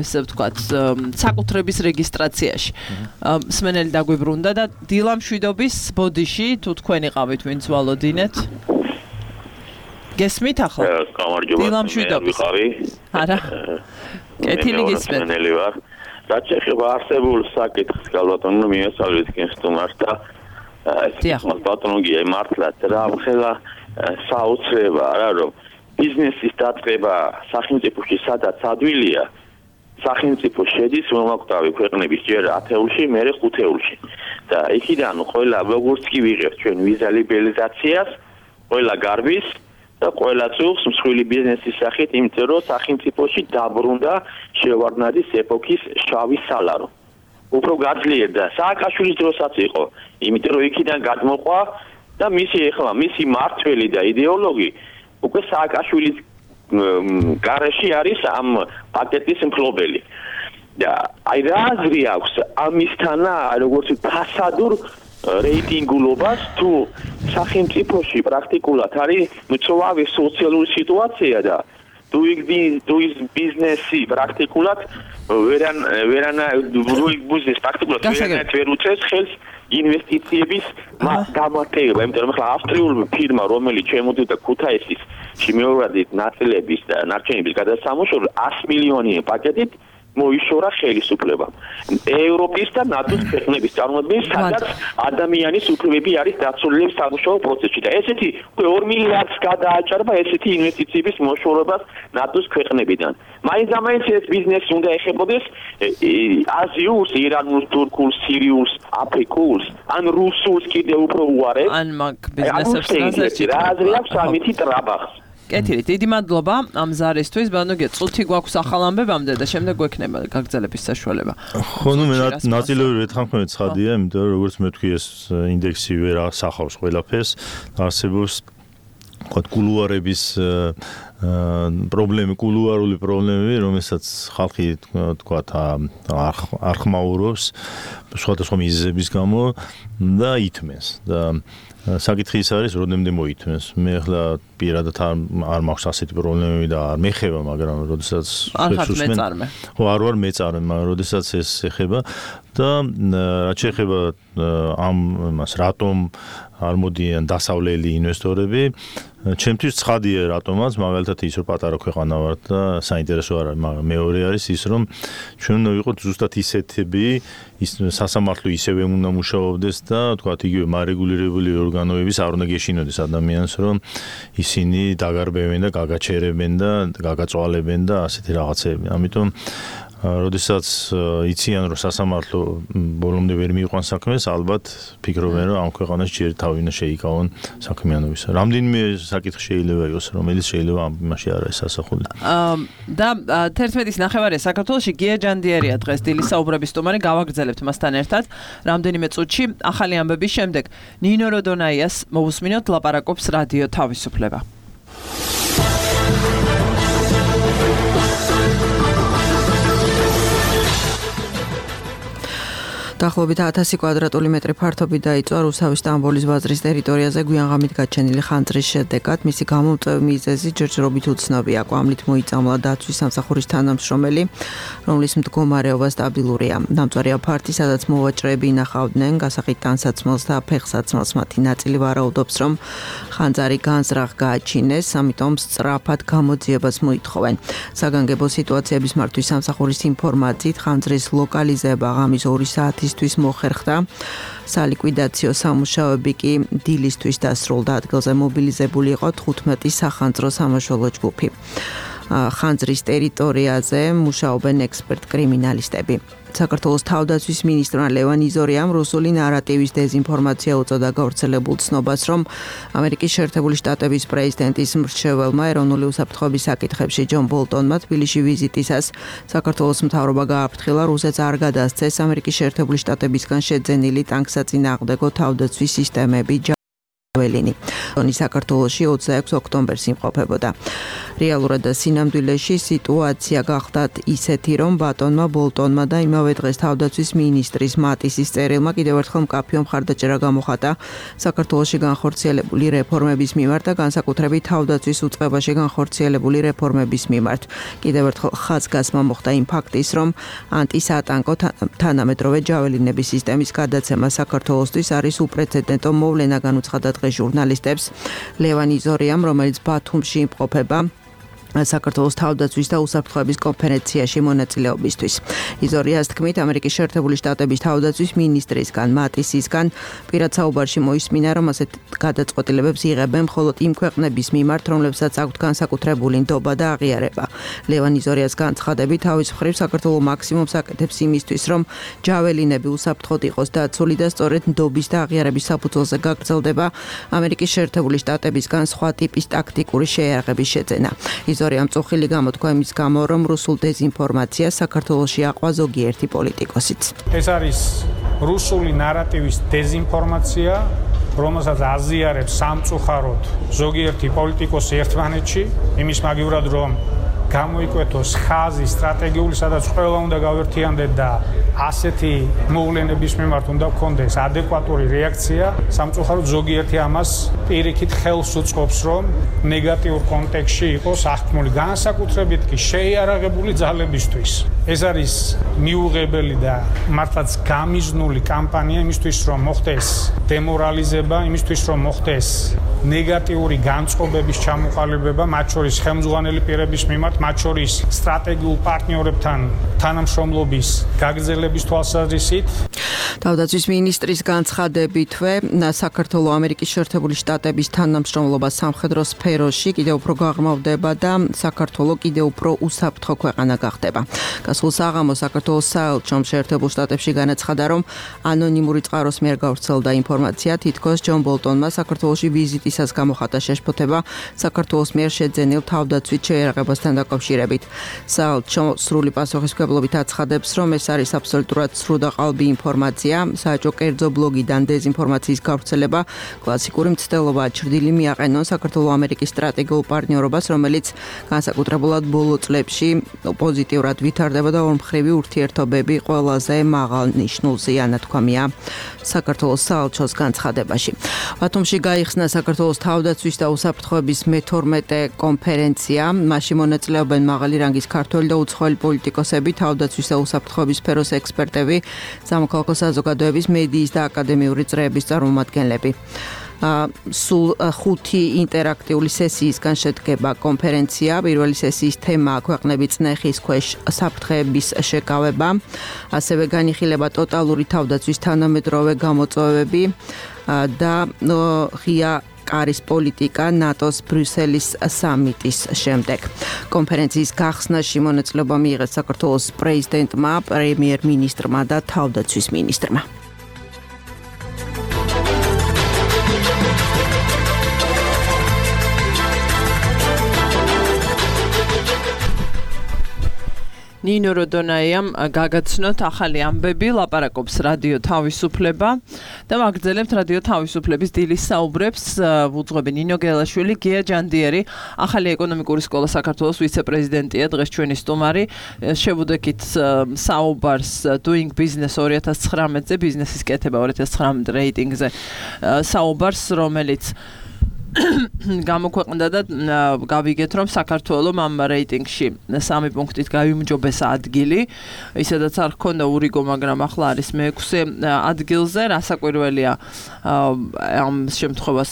Speaker 2: ესე ვთქვათ, საკუთრების რეგისტრაციაში. მსმენელი დაგვიბრუნდა და დილამშვიდობის ბოდიში, თუ თქვენ იყავით, ვინც ვალოდინეთ. გესმით ახლა? დილამშვიდობის. არა. კეთილი გესმით.
Speaker 9: მსმენელი ვარ. რაც შეეხება არსებულ საკითხს, გალბატონო, მიესალმეთ კენსტუმარს და ეს ბატონოგია მართლაც რა ხელა საოცრება არა რომ ბიზნესის დაწყება სახელმწიფოში სადაც ადვილია, სახელმწიფო შედის მომაკვდავი ქვეყნების ჯერ 10-ში, მერე 5-ში. და იქიდან ყველა როგორც კი ვიღებთ ჩვენ ვიზა ლიბერალიზაციას, ყველა გარბის და ყველა წუხს მსხვილი ბიზნესის სახით, იმიტომ რომ სახელმწიფოში დაბრუნდა შევარდნაძის ეპოქის შავი სალარო. უფრო გაძლიერდა სააკაშვილის დროსაც იყო, იმიტომ რომ იქიდან გადმოყვა და მისი მართველი და იდეოლოგი უკვე სააკაშვილის გარეშე არის ამ პაკეტის მფლობელი. და აი რა აზრი აქვს ამისთანა, როგორც ფასადურ რეიტინგულობას თუ სახელმწიფოში პრაქტიკულად არის მწვავე სოციალური სიტუაცია და doing business-ი პრაქტიკულად ვერ უწევს ხელს ინვესტიციების გამართება, იმიტომ რომ ხა ავსტრიული ფირმა, რომელიც შემოდიოდა ქუთაისის შემოუვადით ნაწილების და ნარჩენების გადასამუშავებლად 100 მილიონი პაკეტით მოიშორა ხელისუფლებამ. ევროპის და ნატოს ქვეყნების წარმოადგენს, სადაც ადამიანის უფლებები არის დაცული სამუშაო პროცესში და ესეთი 2 მილიარდს გადააჭარბა ესეთი ინვესტიციების მოშორებას ნატოს ქვეყნებიდან. მაინც ეს ბიზნესი უნდა ეხებოდეს აზიურს, ირანულს, თურქულს, სირიულს, აფრიკულს, ან რუსულს კიდევ უფრო უარეს.
Speaker 2: ან მაგ ბიზნესებს
Speaker 9: რა აზრი აქვს ამითი ტრაბახს?
Speaker 2: კეთილი, დიდი მადლობა ამ ზარისთვის. ბანოგე, წუთი გვაქვს ახალ ამბებამდე და შემდეგ გვექნება გაგრძელების საშუალება.
Speaker 8: ხო, ნუ მე ნაწილობრივ ეთანხმებით ცხადია, იმიტომ რომ როგორც მე ვთქვი, ეს ინდექსი ვერ ასახავს ყველაფერს, არსებობს კულუარების პრობლემები, კულუარული პრობლემები, რომელსაც ხალხი თქვათ არ ხმაურობს სხვადასხვა მიზეზების გამო და ითმენს და საკითხი ის არის, როდემდე მოითმენს. მე ახლა პირადად არ მაქვს ასეთი პრობლემები და არ მეხება, მაგრამ როდესაც ხო არ ვარ მეწარმე, მაგრამ როდესაც ეს ეხება და რაც შეეხება ამ მას რატომ არ მოდიან დასავლელი ინვესტორები, ჩემთვის ცხადია რატომაც, მაგალითად ის რომ პატარა ქვეყანა ვართ და საინტერესო არ არის, მაგრამ მეორე არის ის რომ ჩვენ უნდა ვიყოთ ზუსტად ისეთები, ის სასამართლო ისევე უნდა მუშაობდეს და თქვათ იგივე მარეგულირებული ორგანოების არ უნდა გეშინოდეს ადამიანს, რომ ისინი დაგარბევენ და გაგაჩერებენ და გაგაწვალებენ და ასეთი რაღაცები. ამიტომ როდესაც იციან რომ სასამართლო ბოლომდე ვერ მიიყვანს საქმეს, ალბათ ფიქრობენ რომ ამ ქვეყანაში ჯერ თავი უნდა შეიკავონ საქმიანობისა. რამდენიმე საკითხი შეიძლება იყოს, რომელიც შეიძლება ამ იმაში არ არის ასახული.
Speaker 2: და 11:09 საქართველოში გია ჯანდიერია დღეს დილის საუბრების სტუმარი, გავაგრძელებთ მასთან ერთად. რამდენიმე წუთში ახალი ამბების შემდეგ ნინო როდონაიას მოусმინოთ ლაპარაკობს რადიო თავისუფლება. დაახლოებით 1000 კვადრატული მეტრი ფართობი დაიწვა რუსავის სტამბოლის ბაზრის ტერიტორიაზე გვიანღამით გაჩენილი ხანძრის შედეგად. მისი გამომწვევი მიზეზი ჯერჯერობით უცნობია. კვამლით მოიწამლა დაცვის სამსახურის თანამშრომელი, რომლის მდგომარეობა სტაბილურია. დამწვარი აფართი, სადაც მოვაჭრეები ინახავდნენ, გასაღით ტანსაცმელს და ფეხსაცმელს მათი ნაწილი ვარაუდობს, რომ ხანძარი განზრახ გააჩინეს, ამიტომ სწრაფად გამოძიებას მოითხოვენ. საგანგებო სიტუაციების მართვის სამსახურის ინფორმაციით ხანძრის ლოკალიზება ღამის 2 საათის მოხერხდა. სალიკვიდაციო სამუშაოები კი დილისთვის დასრულდა. ადგილზე მობილიზებული იყო 15 სახანძრო სამაშველო ჯგუფი. ხანძრის ტერიტორიაზე მუშაობენ ექსპერტ კრიმინალისტები. საქართველოს თავდაცვის მინისტრმა ლევან იზორიამ რუსული ნარატივის დეზინფორმაცია უწოდა გავრცელებულ ცნობას, რომ ამერიკის შეერთებული შტატების პრეზიდენტის მრჩეველმა ეროვნული უსაფრთხოების საკითხებში ჯონ ბოლტონმა თბილისში ვიზიტისას საქართველოს მთავრობა გააფრთხილა რუსეთს არ გადასცეს ამერიკის შეერთებული შტატებისგან შეძენილი ტანკსაწინააღმდეგო თავდაცვის სისტემები. ველინი. საქართველოში 26 ოქტომბერს იმყოფებოდა. რეალურად სინამდვილეში სიტუაცია გახდათ ისეთი, რომ ბატონმა ბოლტონმა და იმავე დღეს თავდაცვის მინისტრის მატისის წერილმა კიდევ ერთხელ მკაფიო მხარდაჭერა გამოხატა საქართველოში განხორციელებული რეფორმების მიმართ და განსაკუთრებით თავდაცვის უწყებაში განხორციელებული რეფორმების მიმართ. კიდევ ერთხელ ხაზგასმა მოხდა იმ ფაქტის, რომ ანტისატანკო თანამედროვე ჯაველინების სისტემის გადაცემა საქართველოსთვის არის უპრეცედენტო მოვლენა, განუცხადა ჟურნალისტებს ლევან იზორიამ, რომელიც ბათუმში იმყოფება საქართველოს თავდაცვის და უსაფრთხოების კონფერენციაში მონაწილეობისთვის. იზორიას თქმით, ამერიკის შეერთებული შტატების თავდაცვის მინისტრისგან მატისისგან პირად საუბარში მოისმინა, რომ ასეთ გადაწყვეტილებებს იღებენ მხოლოდ იმ ქვეყნების მიმართ, რომლებსაც აქვთ განსაკუთრებული ნდობა და აღიარება. ლევან იზორიას განცხადებით, თავის მხრივ საქართველო მაქსიმუმს აკეთებს იმისთვის, რომ ჯაველინები უსაფრთხოდ იყოს დაცული და სწორედ ნდობის და აღიარების საფუძველზე გაგრძელდება ამერიკის შეერთებული შტატებისგან სხვა ტიპის ტაქტიკური შეიარაღების შეძენა. იზორიამ წუხილი გამოთქვა იმის გამო, რომ რუსულ დეზინფორმაციას საქართველოში აყვა ზოგიერთი პოლიტიკოსიც.
Speaker 10: ეს არის რუსული ნარატივის დეზინფორმაცია, რომელსაც აზიარებს სამწუხაროდ ზოგიერთი პოლიტიკოსი ერთმანეთში, იმის მაგივრად რომ გამოიკვეთოს ხაზი სტრატეგიული, სადაც ყველა უნდა გავერთიანდეთ და ასეთი მოვლენების მიმართ უნდა გქონდეს ადეკვატური რეაქცია. სამწუხაროდ ზოგიერთი ამას პირიქით ხელს უწყობს, რომ ნეგატიურ კონტექსტში იყოს აღქმული, განსაკუთრებით კი შეიარაღებული ძალებისთვის. ეს არის მიუღებელი და მართლაც გამიზნული კამპანია იმისთვის, რომ მოხდეს დემორალიზება, იმისთვის, რომ მოხდეს ნეგატიური განწყობების ჩამოყალიბება, მათ შორის ხელმძღვანელი პირების მიმართ, მათ შორის სტრატეგიულ პარტნიორებთან თანამშრომლობის გაგრძელების თვალსაზრისით.
Speaker 2: თავდაცვის მინისტრის განცხადებითვე საქართველოს ამერიკის შეერთებული შტატების თანამშრომლობა სამხედრო სფეროში კიდევ უფრო გაღრმავდება და საქართველოს კიდევ უფრო უსაფრთხო ქვეყანა გახდება. გასულ საღამოს საქართველოს საელჩომ შეერთებულ შტატებში განაცხადა, რომ ანონიმური წყაროს მიერ გავრცელდა ინფორმაცია, თითქოს ჯონ ბოლტონმა საქართველოში ვიზიტისას გამოხატა შეშფოთება საქართველოს მიერ შეძენილ თავდაცვით შეიარაღებასთან
Speaker 11: დაკავშირებით. საელჩო სრული პასუხისმგებლობით აცხადებს, რომ ეს არის აბსოლუტურად სრულ და ყალბი ინფორმაცია. საელჩო კერძო ბლოგიდან დეზინფორმაციის გავრცელება კლასიკური მცდელობაა. ჩრდილი მიაყენონ საქართველო-ამერიკის სტრატეგიულ პარტნიორობას, რომელიც განსაკუთრებულად ბოლო წლებში პოზიტიურად ვითარდება და ორმხრივი ურთიერთობები ყველაზე მაღალ ნიშნულზეა, ნათქვამია საქართველოს საელჩოს განცხადებაში. ბათუმში გაიხსნა საქართველოს თავდაცვის და უსაფრთხოების მე-12 კონფერენცია. მასში მონაწილეობენ მაღალი რანგის ქართველი და უცხოელი პოლიტიკოსები, თავდაცვის და უსაფრთხოების სფეროს ექსპერტები, სამოქალაქო საზოგადოების, მედიის და აკადემიური წრეების წარმომადგენლები. სულ 5 ინტერაქტიული სესიისგან შედგება კონფერენცია. პირველი სესიის თემაა ქვეყნები წნეხის ქვეშ საფრთხეების შეკავება. ასევე განიხილება ტოტალური თავდაცვის თანამედროვე გამოწვევები და ღია კარის პოლიტიკა ნატოს ბრიუსელის სამიტის შემდეგ. კონფერენციის გახსნაში მონაწილეობა მიიღეს საქართველოს პრეზიდენტმა, პრემიერ-მინისტრმა და თავდაცვის მინისტრმა.
Speaker 2: ნინო როდონაიამ გაგაცნოთ ახალი ამბები, ლაპარაკობს რადიო თავისუფლება და ვაგრძელებთ რადიო თავისუფლების დილის საუბრებს. ვუძღვები ნინო გელაშვილი, გია ჯანდიერი, ახალი ეკონომიკური სკოლა საქართველოს ვიცე-პრეზიდენტია, დღეს ჩვენი სტუმარი. შევუდექით საუბარს Doing Business 2019-ზე, ბიზნესის კეთება 2019 რეიტინგზე საუბარს, რომელიც გამოქვეყნდა და გავიგეთ, რომ საქართველოს ამ რეიტინგში 3 პუნქტით გაიმჯობესა ადგილი. ისედაც არ ჰქონდა ურიგო, მაგრამ ახლა არის მე-6 ადგილზე. რასაკვირველია ამ შემთხვევას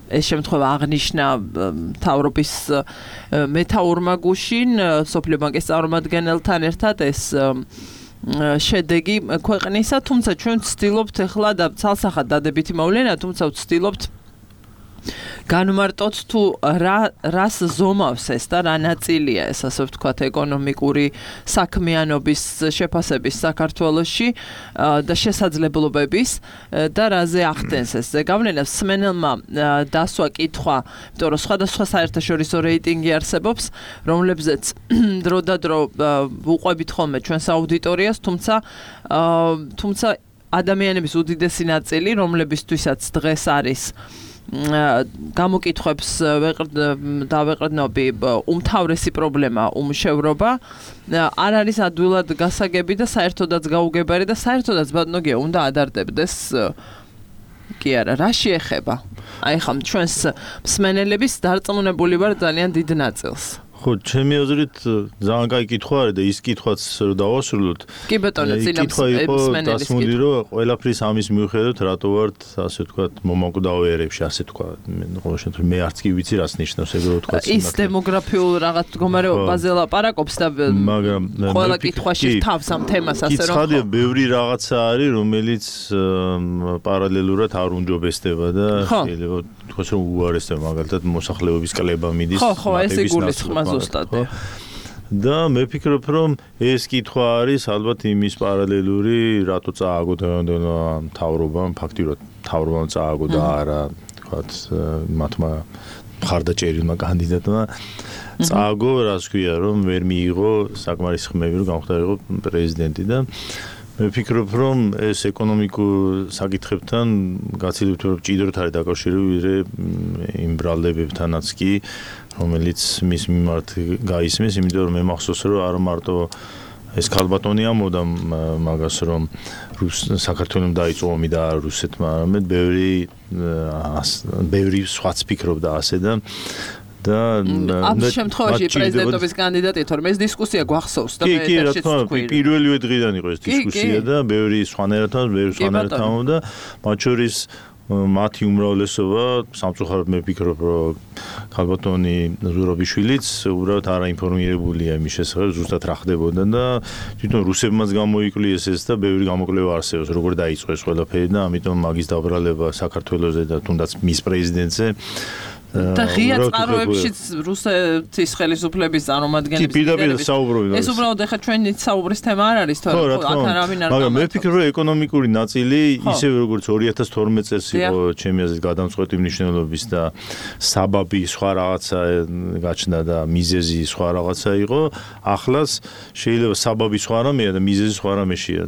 Speaker 2: ეს შემთხვევა აღნიშნა მთავრობის მეთაურმა გუშინ, სოფლიო ბანკის წარმომადგენელთან ერთად ეს შედეგი ქვეყნისა, თუმცა ჩვენ ვცდილობთ ახლა და ცალსახად დადებითი მოვლენა, თუმცა ვცდილობთ განმარტოთ თუ რას ზომავს ეს და რა ნაწილია ეს, ასე ვთქვათ, ეკონომიკური საქმიანობის შეფასების საქართველოში და შესაძლებლობების და რაზე ახდენს ეს ზეგავლენას. სმენელმა დასვა კითხვა, იმიტომ რომ სხვადასხვა საერთაშორისო რეიტინგი არსებობს, რომლებზეც დრო და დრო ვუყვებით ხოლმე ჩვენს აუდიტორიას, თუმცა ადამიანების უდიდესი ნაწილი, რომლებისთვისაც დღეს არის გამოკითხვებს დავეყრდნობი უმთავრესი პრობლემა, უმშევრობა, არ არის ადვილად გასაგები და საერთოდაც გაუგებარი და საერთოდაც ბატონოგია უნდა ადარდებდეს კი არა, რა შეეხება? აი ხა ჩვენს მსმენელების დარწმუნებული ვარ ძალიან დიდ ნაწილს.
Speaker 8: ხო, ჩემი აზრით ძალიან კაი კითხვა არის და ის კითხვაც რო დავასრულოთ.
Speaker 2: კი ბატონო, წინა მსმენელის
Speaker 8: დასმული რომ ყველაფრის ამის მიუხედავად რატო ვართ, ასე ვთქვათ, მომაკვდავ ერებში, ასე ვთქვათ. ყოველ შემთხვევაში მე არც კი ვიცი რას ნიშნავს ეგ რო ვთქვათ.
Speaker 2: ის დემოგრაფიულ რაღაც მდგომარეობაზე ლაპარაკობს და
Speaker 8: მაგრამ
Speaker 2: ყველა კითხვაში თავს ამ თემას ასე რომ
Speaker 8: კითხავია, ბევრი რაღაცა არის, რომელიც პარალელურად არ უნჯობესდება და შეიძლება თქვას რომ უარესდება, მაგალითად მოსახლეობის კლება მიდის.
Speaker 2: ხო, ეს იგულისხმება ზუსტად.
Speaker 8: და მე ვფიქრობ, რომ ეს კითხვა არის ალბათ იმის პარალელური, რატო წააგო მთავრობამ, ფაქტიურად მთავრობამ წააგო და არა, თქვათ, მათმა მხარდაჭერილმა კანდიდატმა წააგო, რას ქვია, რომ ვერ მიიღო საკმარის ხმები, რომ გამხდარიყო პრეზიდენტი და მე ვფიქრობ, რომ ეს ეკონომიკურ საკითხებთან გაცილებით უფრო ჭიდროდ არის დაკავშირებული იმ ბრალდებებთანაც კი, რომელიც მის მიმართ გაისმის, იმიტომ რომ მე მახსოვს, რომ არ მარტო ეს ქალბატონი ამბობდა მაგას, რომ საქართველოს დაიწყო ომი და რუსეთმა, არამედ ბევრი სხვაც ფიქრობდა ასე და
Speaker 2: ამ შემთხვევაში პრეზიდენტობის კანდიდატი თორემ ეს დისკუსია გვახსოვს და
Speaker 8: მე ერთშიც ვთქვი. პირველივე დღიდან იყო ეს დისკუსია და ბევრი სხვანაირად და მათ შორის მათი უმრავლესობა სამწუხაროდ მე ვფიქრობ, რომ ქალბატონი ზურაბიშვილიც უბრალოდ არაინფორმირებულია იმის შესახებ, ზუსტად რა ხდებოდა და თვითონ რუსებმაც გამოიკვლიეს ეს და ბევრი გამოკვლევა არსებობს, როგორ დაიწყო ეს ყველაფერი და ამიტომ მაგის დაბრალება საქართველოზე და თუნდაც მის პრეზიდენტზე
Speaker 2: და ღია წყაროებშიც რუსეთის ხელისუფლების წარმომადგენლები ეს უბრალოდ ახლა ჩვენი საუბრის თემა არ არის თორე აქ არავინ არ
Speaker 8: მაგრამ მე ვფიქრობ რომ ეკონომიკური ნაწილი ისევე როგორც 2012 წელს იყო ჩემი აზრით გადამწყვეტი მნიშვნელობის და საბაბი სხვა რაღაცა გაჩნდა და მიზეზი სხვა რაღაცა იყო ახლაც შეიძლება საბაბი სხვა რამეა და მიზეზი სხვა რამეშია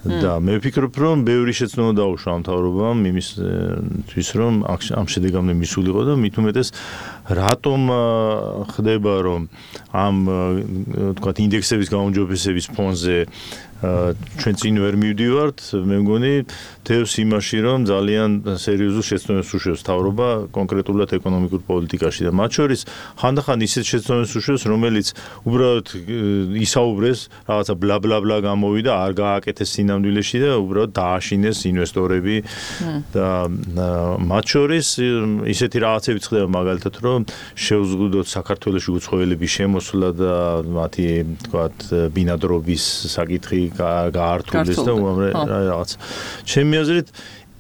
Speaker 8: და მე ვფიქრობ რომ ბევრი შეცდომა დაუშვა მთავრობამ იმისთვის რომ ამ შედეგამდე მისულიყო და მით უმეტეს რატომ ხდება რომ ამ თქვათ ინდექსების გაუმჯობესების ფონზე ჩვენ წინ ვერ მივდივართ მე მგონი თევს იმაში რომ ძალიან სერიოზულ შეცდომებს უშვებს მთავრობა კონკრეტულად ეკონომიკურ პოლიტიკაში და მათ შორის ხანდახან ისეთ შეცდომებს უშვებს რომელიც უბრალოდ ისაუბრეს რაღაცა ბლა ბლა ბლა გამოვიდა არ გააკეთეს სინამდვილეში და უბრალოდ დააშინეს ინვესტორები და მათ შორის ისეთი რაღაცები ხდება მაგალითად რომ შევზღუდოთ საქართველოში უცხოელების შემოსვლა და მათი თქვათ ბინადრობის საკითხი გაართულდეს და რაღაც ჩემი აზრით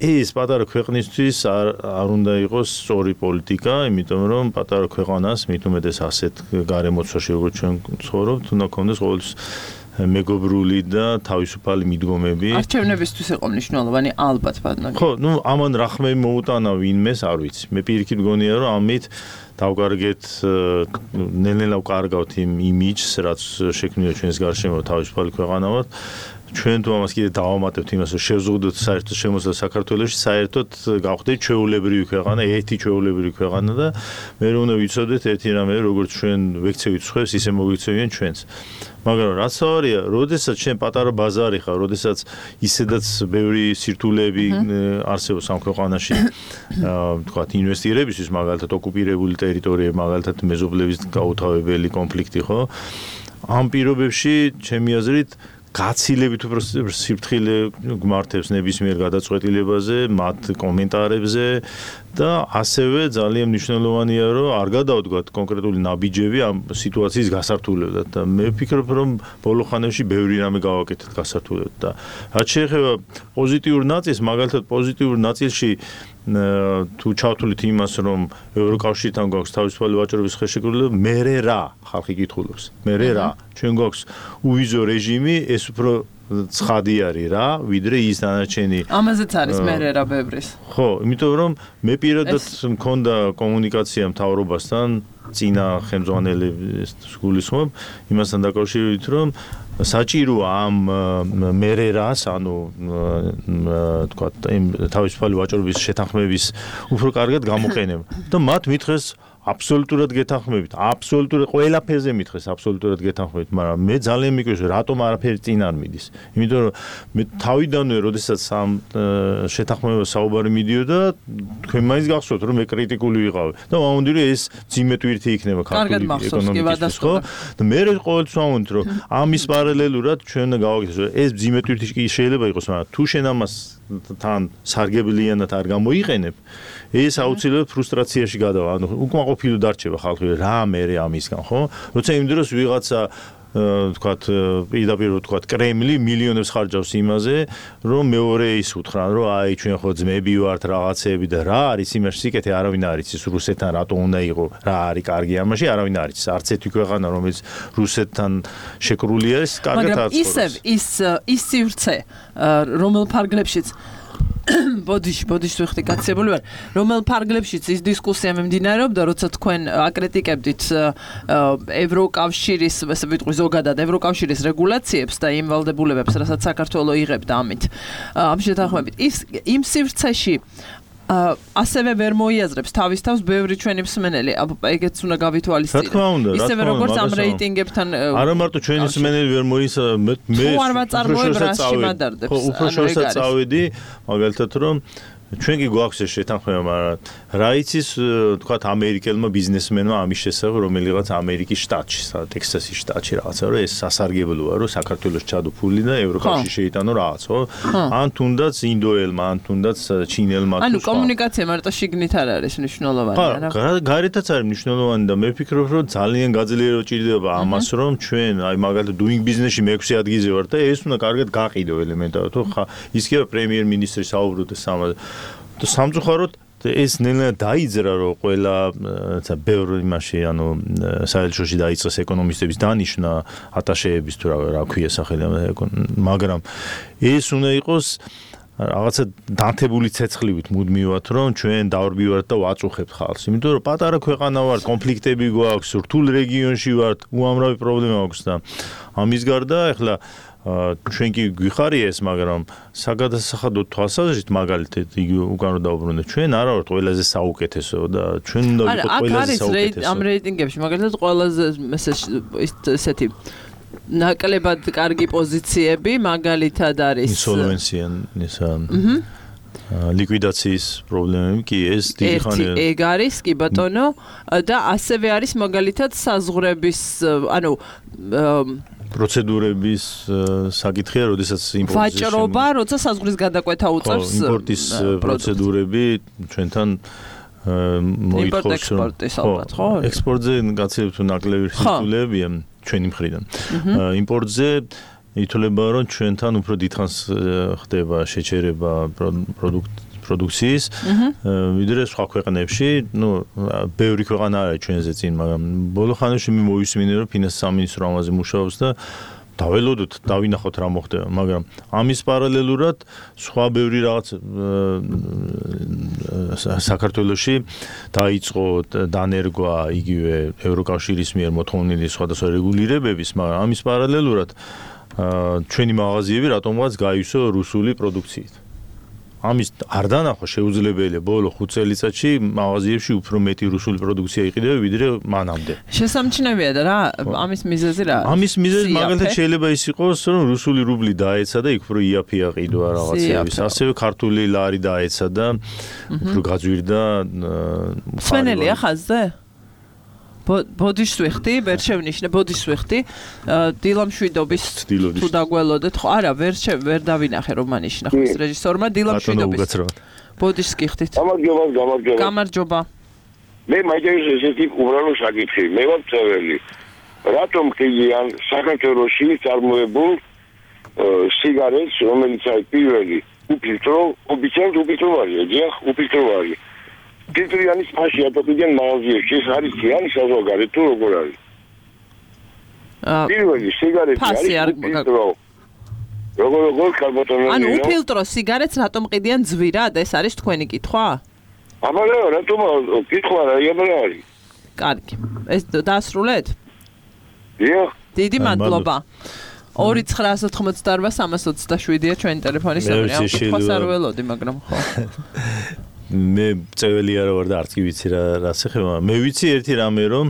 Speaker 8: ეს პატარა ქვეყნისთვის არ უნდა იყოს სწორი პოლიტიკა, იმიტომ რომ პატარა ქვეყანას მით უმეტეს ასეთ გარემოცვაში როგორც ჩვენ ცხოვრობთ, უნდა გქონდეს ყოველთვის მეგობრული და თავისუფალი მიდგომები.
Speaker 2: არჩევნებისთვის იყო მნიშვნელოვანი ალბათ ბატონო.
Speaker 8: ხო, ამან რა ხმები მოუტანა ვინმეს, არ ვიცი. მე პირიქით მგონია რომ ამით დავკარგეთ ნელ-ნელა ვკარგავთ იმ იმიჯს, რაც შექმნილია ჩვენს გარშემო თავისუფალი ქვეყანა ვართ. ჩვენ თუ ამას კიდე დავამატებთ იმას, რომ შევზღუდოთ საერთოდ შემოსვლა საქართველოში, საერთოდ გავხდეთ ჩვეულებრივი ქვეყანა, ერთი ჩვეულებრივი ქვეყანა და მე რომ უნდა ვიცოდეთ ერთი რამე, როგორც ჩვენ ვექცევით სხვებს, ისე მოგვიქცევიან ჩვენც. მაგრამ რაც ავარია, როდესაც ჩვენ პატარა ბაზარი ხარ, როდესაც ისედაც ბევრი სირთულეები არსებობს ამ ქვეყანაში, თქვათ ინვესტირებისთვის, მაგალითად ოკუპირებული ტერიტორიები, მაგალითად მეზობლების გაუთავებელი კონფლიქტი, ხო? ამ პირობებში, ჩემი აზრით, გაცილებით უფრო სიფრთხილე გმართებს ნებისმიერ გადაწყვეტილებაზე, მათ კომენტარებზე და ასევე ძალიან მნიშვნელოვანია, რომ არ გადავდგათ კონკრეტული ნაბიჯები ამ სიტუაციის გასართულებლად და მე ვფიქრობ, რომ ბოლო ხანებში ბევრი რამე გავაკეთეთ გასართულებლად და რაც შეეხება პოზიტიურ ნაწილს, მაგალითად პოზიტიურ ნაწილში თუ ჩავთვლით იმას, რომ ევროკავშირთან გვაქვს თავისუფალი ვაჭრობის ხელშეკრულება, მერე რა ხალხი კითხულობს. მერე რა, ჩვენ გვაქვს უვიზო რეჟიმი, ეს უფრო ცხადი არის რა, ვიდრე ის დანარჩენი.
Speaker 2: ამაზეც არის მერე რა ბევრის.
Speaker 8: ხო, იმიტომ რომ მე პირადად მქონდა კომუნიკაცია მთავრობასთან, წინა ხელმძღვანელების გულისხმობ, იმასთან დაკავშირებით, რომ საჭიროა ამ მერერას, ანუ თქვათ, თავისუფალი ვაჭრობის შეთანხმების უფრო კარგად გამოყენება და მათ მითხრეს აბსოლუტურად გეთანხმებით, აბსოლუტურად ყველაფერზე მითხრეს აბსოლუტურად გეთანხმებით, მაგრამ მე ძალიან მიკვირს, რატომ არაფერი წინ არ მიდის. იმიტომ რომ მე თავიდანვე, როდესაც ამ შეთანხმებას საუბარი მიდიოდა, თქვენ მაინც გახსოვთ, რომ მე კრიტიკული ვიყავი და ვამბობდი, რომ ეს ძიმე ტვირთი იქნება ქართული ეკონომიკის, ხო? და მე ყოველთვის ვამბობდი, რომ ამის პარალელურად ჩვენ უნდა გავაკეთოთ, რომ ეს ძიმე ტვირთი კი შეიძლება იყოს, მაგრამ თუ შენ ამას თან სარგებლიანად არ გამოიყენებ, ეს აუცილებლად ფრუსტრაციაში გადავა. ანუ უკმაყოფილო დარჩება ხალხი, რა მერე ამისგან, ხო? როცა იმ დროს ვიღაცა თქვათ, პირდაპირ თქვათ, კრემლი მილიონებს ხარჯავს იმაზე, რომ მეორე ის უთხრან, რომ აი ჩვენ ხო ძმები ვართ რაღაცეები და რა არის იმაში სიკეთე არავინ არ იცის რუსეთთან რატო უნდა იყო, რა არის კარგი ამაში არავინ არ იცის. არც ერთი ქვეყანა რომელიც რუსეთთან შეკრული არის, კარგად არ ცხოვრობს.
Speaker 2: მაგრამ ის სივრცე, რომელ ფარგლებშიც ბოდიში ვიხდი გაცებული ვარ, რომელ ფარგლებშიც ის დისკუსია მიმდინარეობდა, როცა თქვენ აკრიტიკებდით ევროკავშირის, ესე ვიტყვი ზოგადად ევროკავშირის რეგულაციებს და იმ ვალდებულებებს, რასაც საქართველო იღებდა ამით. ამ შეთანხმებით იმ სივრცეში ასევე ვერ მოიაზრებს თავის თავს ბევრი ჩვენი მსმენელი, ეგეც უნდა გავითვალისწინოთ.
Speaker 8: რა თქმა უნდა,
Speaker 2: ისევე როგორც ამ რეიტინგებთან
Speaker 8: არა მარტო ჩვენი მსმენელი ვერ მე უფრო შორსაც წავედი, მაგალითად რომ ჩვენ კი გვაქვს ეს შეთანხმება, მაგრამ რა იცის, თქვათ, ამერიკელმა ბიზნესმენმა ამის შესახებ, რომელიღაც ამერიკის შტატში, ტექსასის შტატში რაღაცა, რომ ეს სასარგებლოა, რომ საქართველოს ჩადო ფული და ევროკავშირში შეიტანო რაღაც, ხო? ან თუნდაც ინდოელმა, ან თუნდაც ჩინელმა.
Speaker 2: ანუ კომუნიკაცია მარტო შიგნით არ არის მნიშვნელოვანი,
Speaker 8: არა? გარეთაც არის მნიშვნელოვანი და მე ვფიქრობ, რომ ძალიან გაძლიერება ჭირდება ამას, რომ ჩვენ, აი მაგალითად doing business-ში მე-6 ადგილზე ვარ და ეს უნდა კარგად გაყიდო ელემენტარულად, ხო? ის კი პრემიერ-მინისტრი საუბრობდა სამწუხაროდ ეს ნელა დაიძრა რომ ყველა ბევრ იმაში ანუ საერთაშორისო დაიწყეს ეკონომისტების დანიშნა ატაშეების თუ რა ქვია სახელი მაგრამ ეს უნდა იყოს რაღაცა დანთებული ცეცხლივით მუდმივად რომ ჩვენ დავრბივართ და ვაწუხებთ ხალხს იმიტომ რომ პატარა ქვეყანა ვართ კონფლიქტები გვაქვს რთულ რეგიონში ვართ უამრავი პრობლემა აქვს და ამის გარდა ეხლა ჩვენ კი გვიხარია ეს მაგრამ საგადასახადო თვალსაზრისით მაგალითად იგი უკან რომ დაუბრუნდეთ ჩვენ არა ვართ ყველაზე საუკეთესო და ჩვენ უნდა ვიყოთ ყველაზე საუკეთესო ამ
Speaker 2: რეიტინგებში მაგალითად ყველაზე ესეთი ნაკლებად კარგი პოზიციები მაგალითად არის
Speaker 8: ინსოლვენცია ისა ლიკვიდაციის პრობლემები კი ეს დიდი ხანია
Speaker 2: ეგ არის კი ბატონო და ასევე არის მაგალითად საზღვრების ანუ
Speaker 8: პროცედურების საკითხია, როდესაც იმპორტის
Speaker 2: ვაჭრობა, როცა საზღვრის გადაკვეთა უწევს
Speaker 8: იმპორტის პროცედურები ჩვენთან მოითხოვს ექსპორტზე გაცილებით ნაკლები სიტულებია ჩვენი მხრიდან. იმპორტზე ითვლება, რომ ჩვენთან უფრო დიდხანს ხდება შეჩერება პროდუქციის, ვიდრე სხვა ქვეყნებში, ბევრი ქვეყანა არის ჩვენზე წინ, მაგრამ ბოლო ხანებში მე მოვისმინე, რომ ფინანსის სამინისტრო ამაზე მუშაობს და დაველოდოთ, დავინახოთ რა მოხდება, მაგრამ ამის პარალელურად სხვა ბევრი რაღაც საქართველოში დაიწყო დანერგვა იგივე ევროკავშირის მიერ მოთხოვნილი სხვადასხვა რეგულირებების, მაგრამ ამის პარალელურად ჩვენი მაღაზიები რატომღაც გაივსო რუსული პროდუქციით. ამის არ დანახვა შეუძლებელია ბოლო 5 წელიწადში მაღაზიებში უფრო მეტი რუსული პროდუქცია იყიდება ვიდრე მანამდე.
Speaker 2: შესამჩნევია და რა ამის მიზეზი რა?
Speaker 8: ამის მიზეზი მაგალითად შეიძლება ის იყოს რომ რუსული რუბლი დაეცა და იქ უფრო იაფია ყიდვა რაღაცეების. ასევე ქართული ლარი დაეცა და უფრო გაძვირდა
Speaker 2: სვენელია ხაზზე? ბოდიშს ვიხდი, ვერ შევნიშნე, ბოდიშს ვიხდი. დილამშვიდობის თუ დაგველოდეთ, ხო, არა, ვერ დავინახე რომ მანიშნა ხო ეს რეჟისორმა დილამშვიდობის. ბოდიშს გიხდით.
Speaker 12: გამარჯობა.
Speaker 2: გამარჯობა.
Speaker 12: მე მაინტერესებს ესეთი უბრალო საკითხი. მე ვარ წევრი. რატომ ხილიან საქართველოში წარმოებულ სიგარეტს, რომელიც არის პირველი უფილტრო, უბიტოვარი, დიახ, უფილტოვარი. ფილტრიანის ფაში ატოფიდან მაღაზიებში ეს არის ძიანი საზღვარგარეთ თუ როგორ არის? პირველი სიგარეტი არის უფილტრო. როგორ კარბონატული.
Speaker 2: ანუ უფილტრო სიგარეტს რატომ ყიდიან ძვირად? ეს არის თქვენი კითხვა?
Speaker 12: აბა რატომ კითხვა რა არის?
Speaker 2: კარგი. ეს დაასრულეთ?
Speaker 12: დიახ.
Speaker 2: დიდი მადლობა. 2988327-ია ჩვენი ტელეფონის ნომერი. ამ კითხვას არ ველოდი, მაგრამ ხო.
Speaker 8: მე წეველი არა ვარ და არც კი ვიცი რა შეხება. მე ვიცი ერთი რამე რომ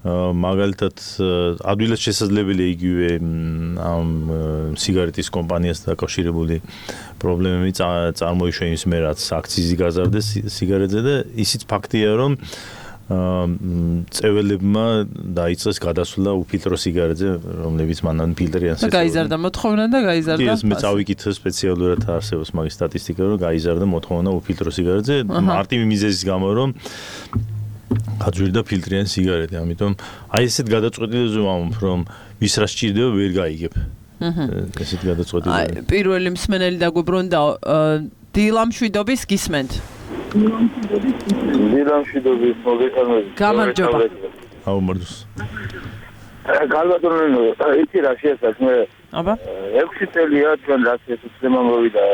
Speaker 8: მაგალითად ადვილად შესაძლებელია იგივე ამ სიგარეტის კომპანიასთან დაკავშირებული პრობლემები წარმოიშვა იმის მე რაც აქციზი გაზარდეს სიგარეტზე და ისიც ფაქტია რომ წეველებმა დაიწყეს გადასვლა უფილტრო სიგარეტზე რომლებიც მანამდე ფილტრიან
Speaker 2: და გაიზარდა მოთხოვნა და გაიზარდა
Speaker 8: ეს მე წავიკითხე სპეციალურად არსებობს მაგის სტატისტიკა რომ გაიზარდა მოთხოვნა უფილტრო სიგარეტზე მარტივი მიზეზის გამო რომ გაძვირდა ფილტრიანი სიგარეტი ამიტომ აი ესეთ გადაწყვეტილებაზე ვამბობ რომ ვის რა სჭირდება ვერ გაიგებ ესეთ გადაწყვეტილებები
Speaker 2: პირველი მსმენელი დაგვიბრუნდა დილამშვიდობის გისმენთ
Speaker 12: დილამშვიდობის მოგესალმებით.
Speaker 2: გამარჯობა.
Speaker 8: აუმარჯოს.
Speaker 12: გალბატონო, იცი რა შეეცათ მე?
Speaker 2: აბა.
Speaker 12: 6 წელია ჩვენ რაც ეს უცნობა მოვიდა.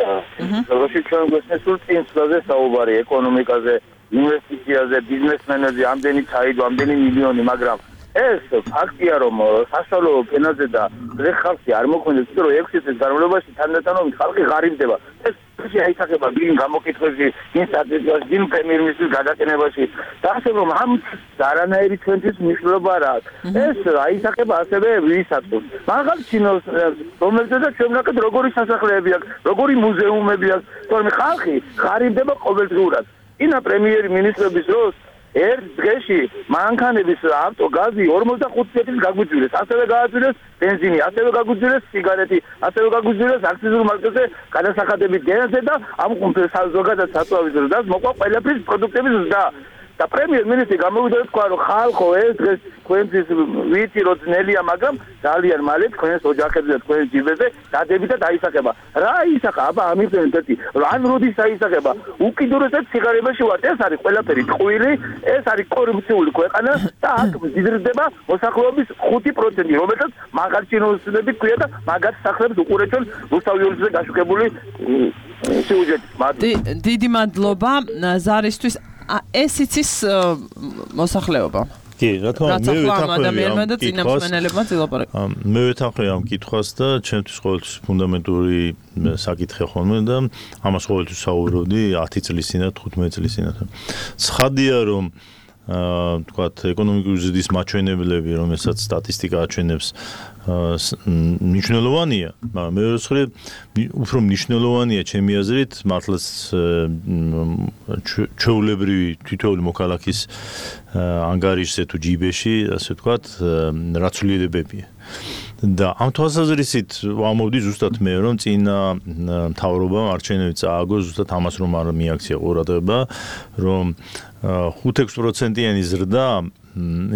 Speaker 12: როგორი ჩვენ გვესმის სულ წინსვლაზე საუბარი ეკონომიკაზე, ინვესტიციაზე, ბიზნესმენებზე, ამდენი ჩაიდო, ამდენი მილიონი, მაგრამ ეს ფაქტია რომ საშუალო ფენაზე და დღე ხალხი არ მოქმედებს, რომ 6 წლის განმავლობაში თანდათანობით ხალხი ღარიბდება. ეს აისახება ბილ გამოკითხვებში, ინსტიტუტიაში, ბილ პრემიერ-მინისტრის გადაყენებაში. და ასე რომ ამ არანაირი ჩვენთვის მნიშვნელობა რა აქვს. ეს აისახება ასევე ვისათვის. მაგალ ჩინოს რომელზედაც ჩვენ ვაკეთ როგორი სასახლეები აქვს, როგორი მუზეუმები აქვს, თორემ ხალხი ღარიბდება ყოველდღურად. ინა პრემიერ-მინისტრების დროს ერთ დღეში მანქანების ავტოგაზი 45 წელს გაგვიძვირეს, ასევე გააძვირეს ბენზინი, ასევე გაგვიძვირეს სიგარეტი, ასევე გაგვიძვირეს აქციზურ მარკაზე გადასახადების დენაზე და ამ ზოგადად საწვავის ზრდას მოყვა ყველაფრის პროდუქტების ზრდა. და პრემიერ-მინისტრი გამოვიდა და თქვა რომ ხალხო ეს დღეს თქვენთვის ვიცი რომ ძნელია მაგრამ ძალიან მალე თქვენს ოჯახებზე და თქვენს ჯიბებზე დადებით და დაისახება რა ისახა აბა ამიტომ ერთი ან როდის დაისახება უკიდურესად სიგარებაში ვართ ეს არის ყველაფერი ტყუილი ეს არის კორუფციული ქვეყანა და აქ მზირდება მოსახლეობის 5% რომელსაც მაგარჩინოსები ქვია და მაგარ სახლებს უყურებენ რუსთავიურზე გაშუქებული სიუჟეტი
Speaker 2: დიდი მადლობა ზარისთვის ეს იცის მოსახლეობა
Speaker 8: კი, რა თქმა უნდა, მე
Speaker 2: ადამიანმა და წინამძღვრებმა წილაპარაკა.
Speaker 8: მე ვეთანხმები ამ კითხვას და ჩემთვის ყოველთვის ფუნდამენტური საკითხი ხოლმე და ამას ყოველთვის საუბრობდი 10 წლის წინ და 15 წლის წინ. ცხადია რომ თქვათ ეკონომიკური ზრდის მაჩვენებლები, რომელსაც სტატისტიკა აჩვენებს მნიშვნელოვანია, მაგრამ მეორე მხრივ უფრო მნიშვნელოვანია ჩემი აზრით მართლაც ჩვეულებრივი თითოეული მოქალაქის ანგარიშზე თუ ჯიბეში, ასე ვთქვათ, რაცვლელებებია. და ამ თვალსაზრისით ვამოვდი ზუსტად მე რომ წინა მთავრობამ არჩევნები წააგო ზუსტად ამას რომ არ მიაქცია ყურადღება რომ 5-6%-იანი ზრდა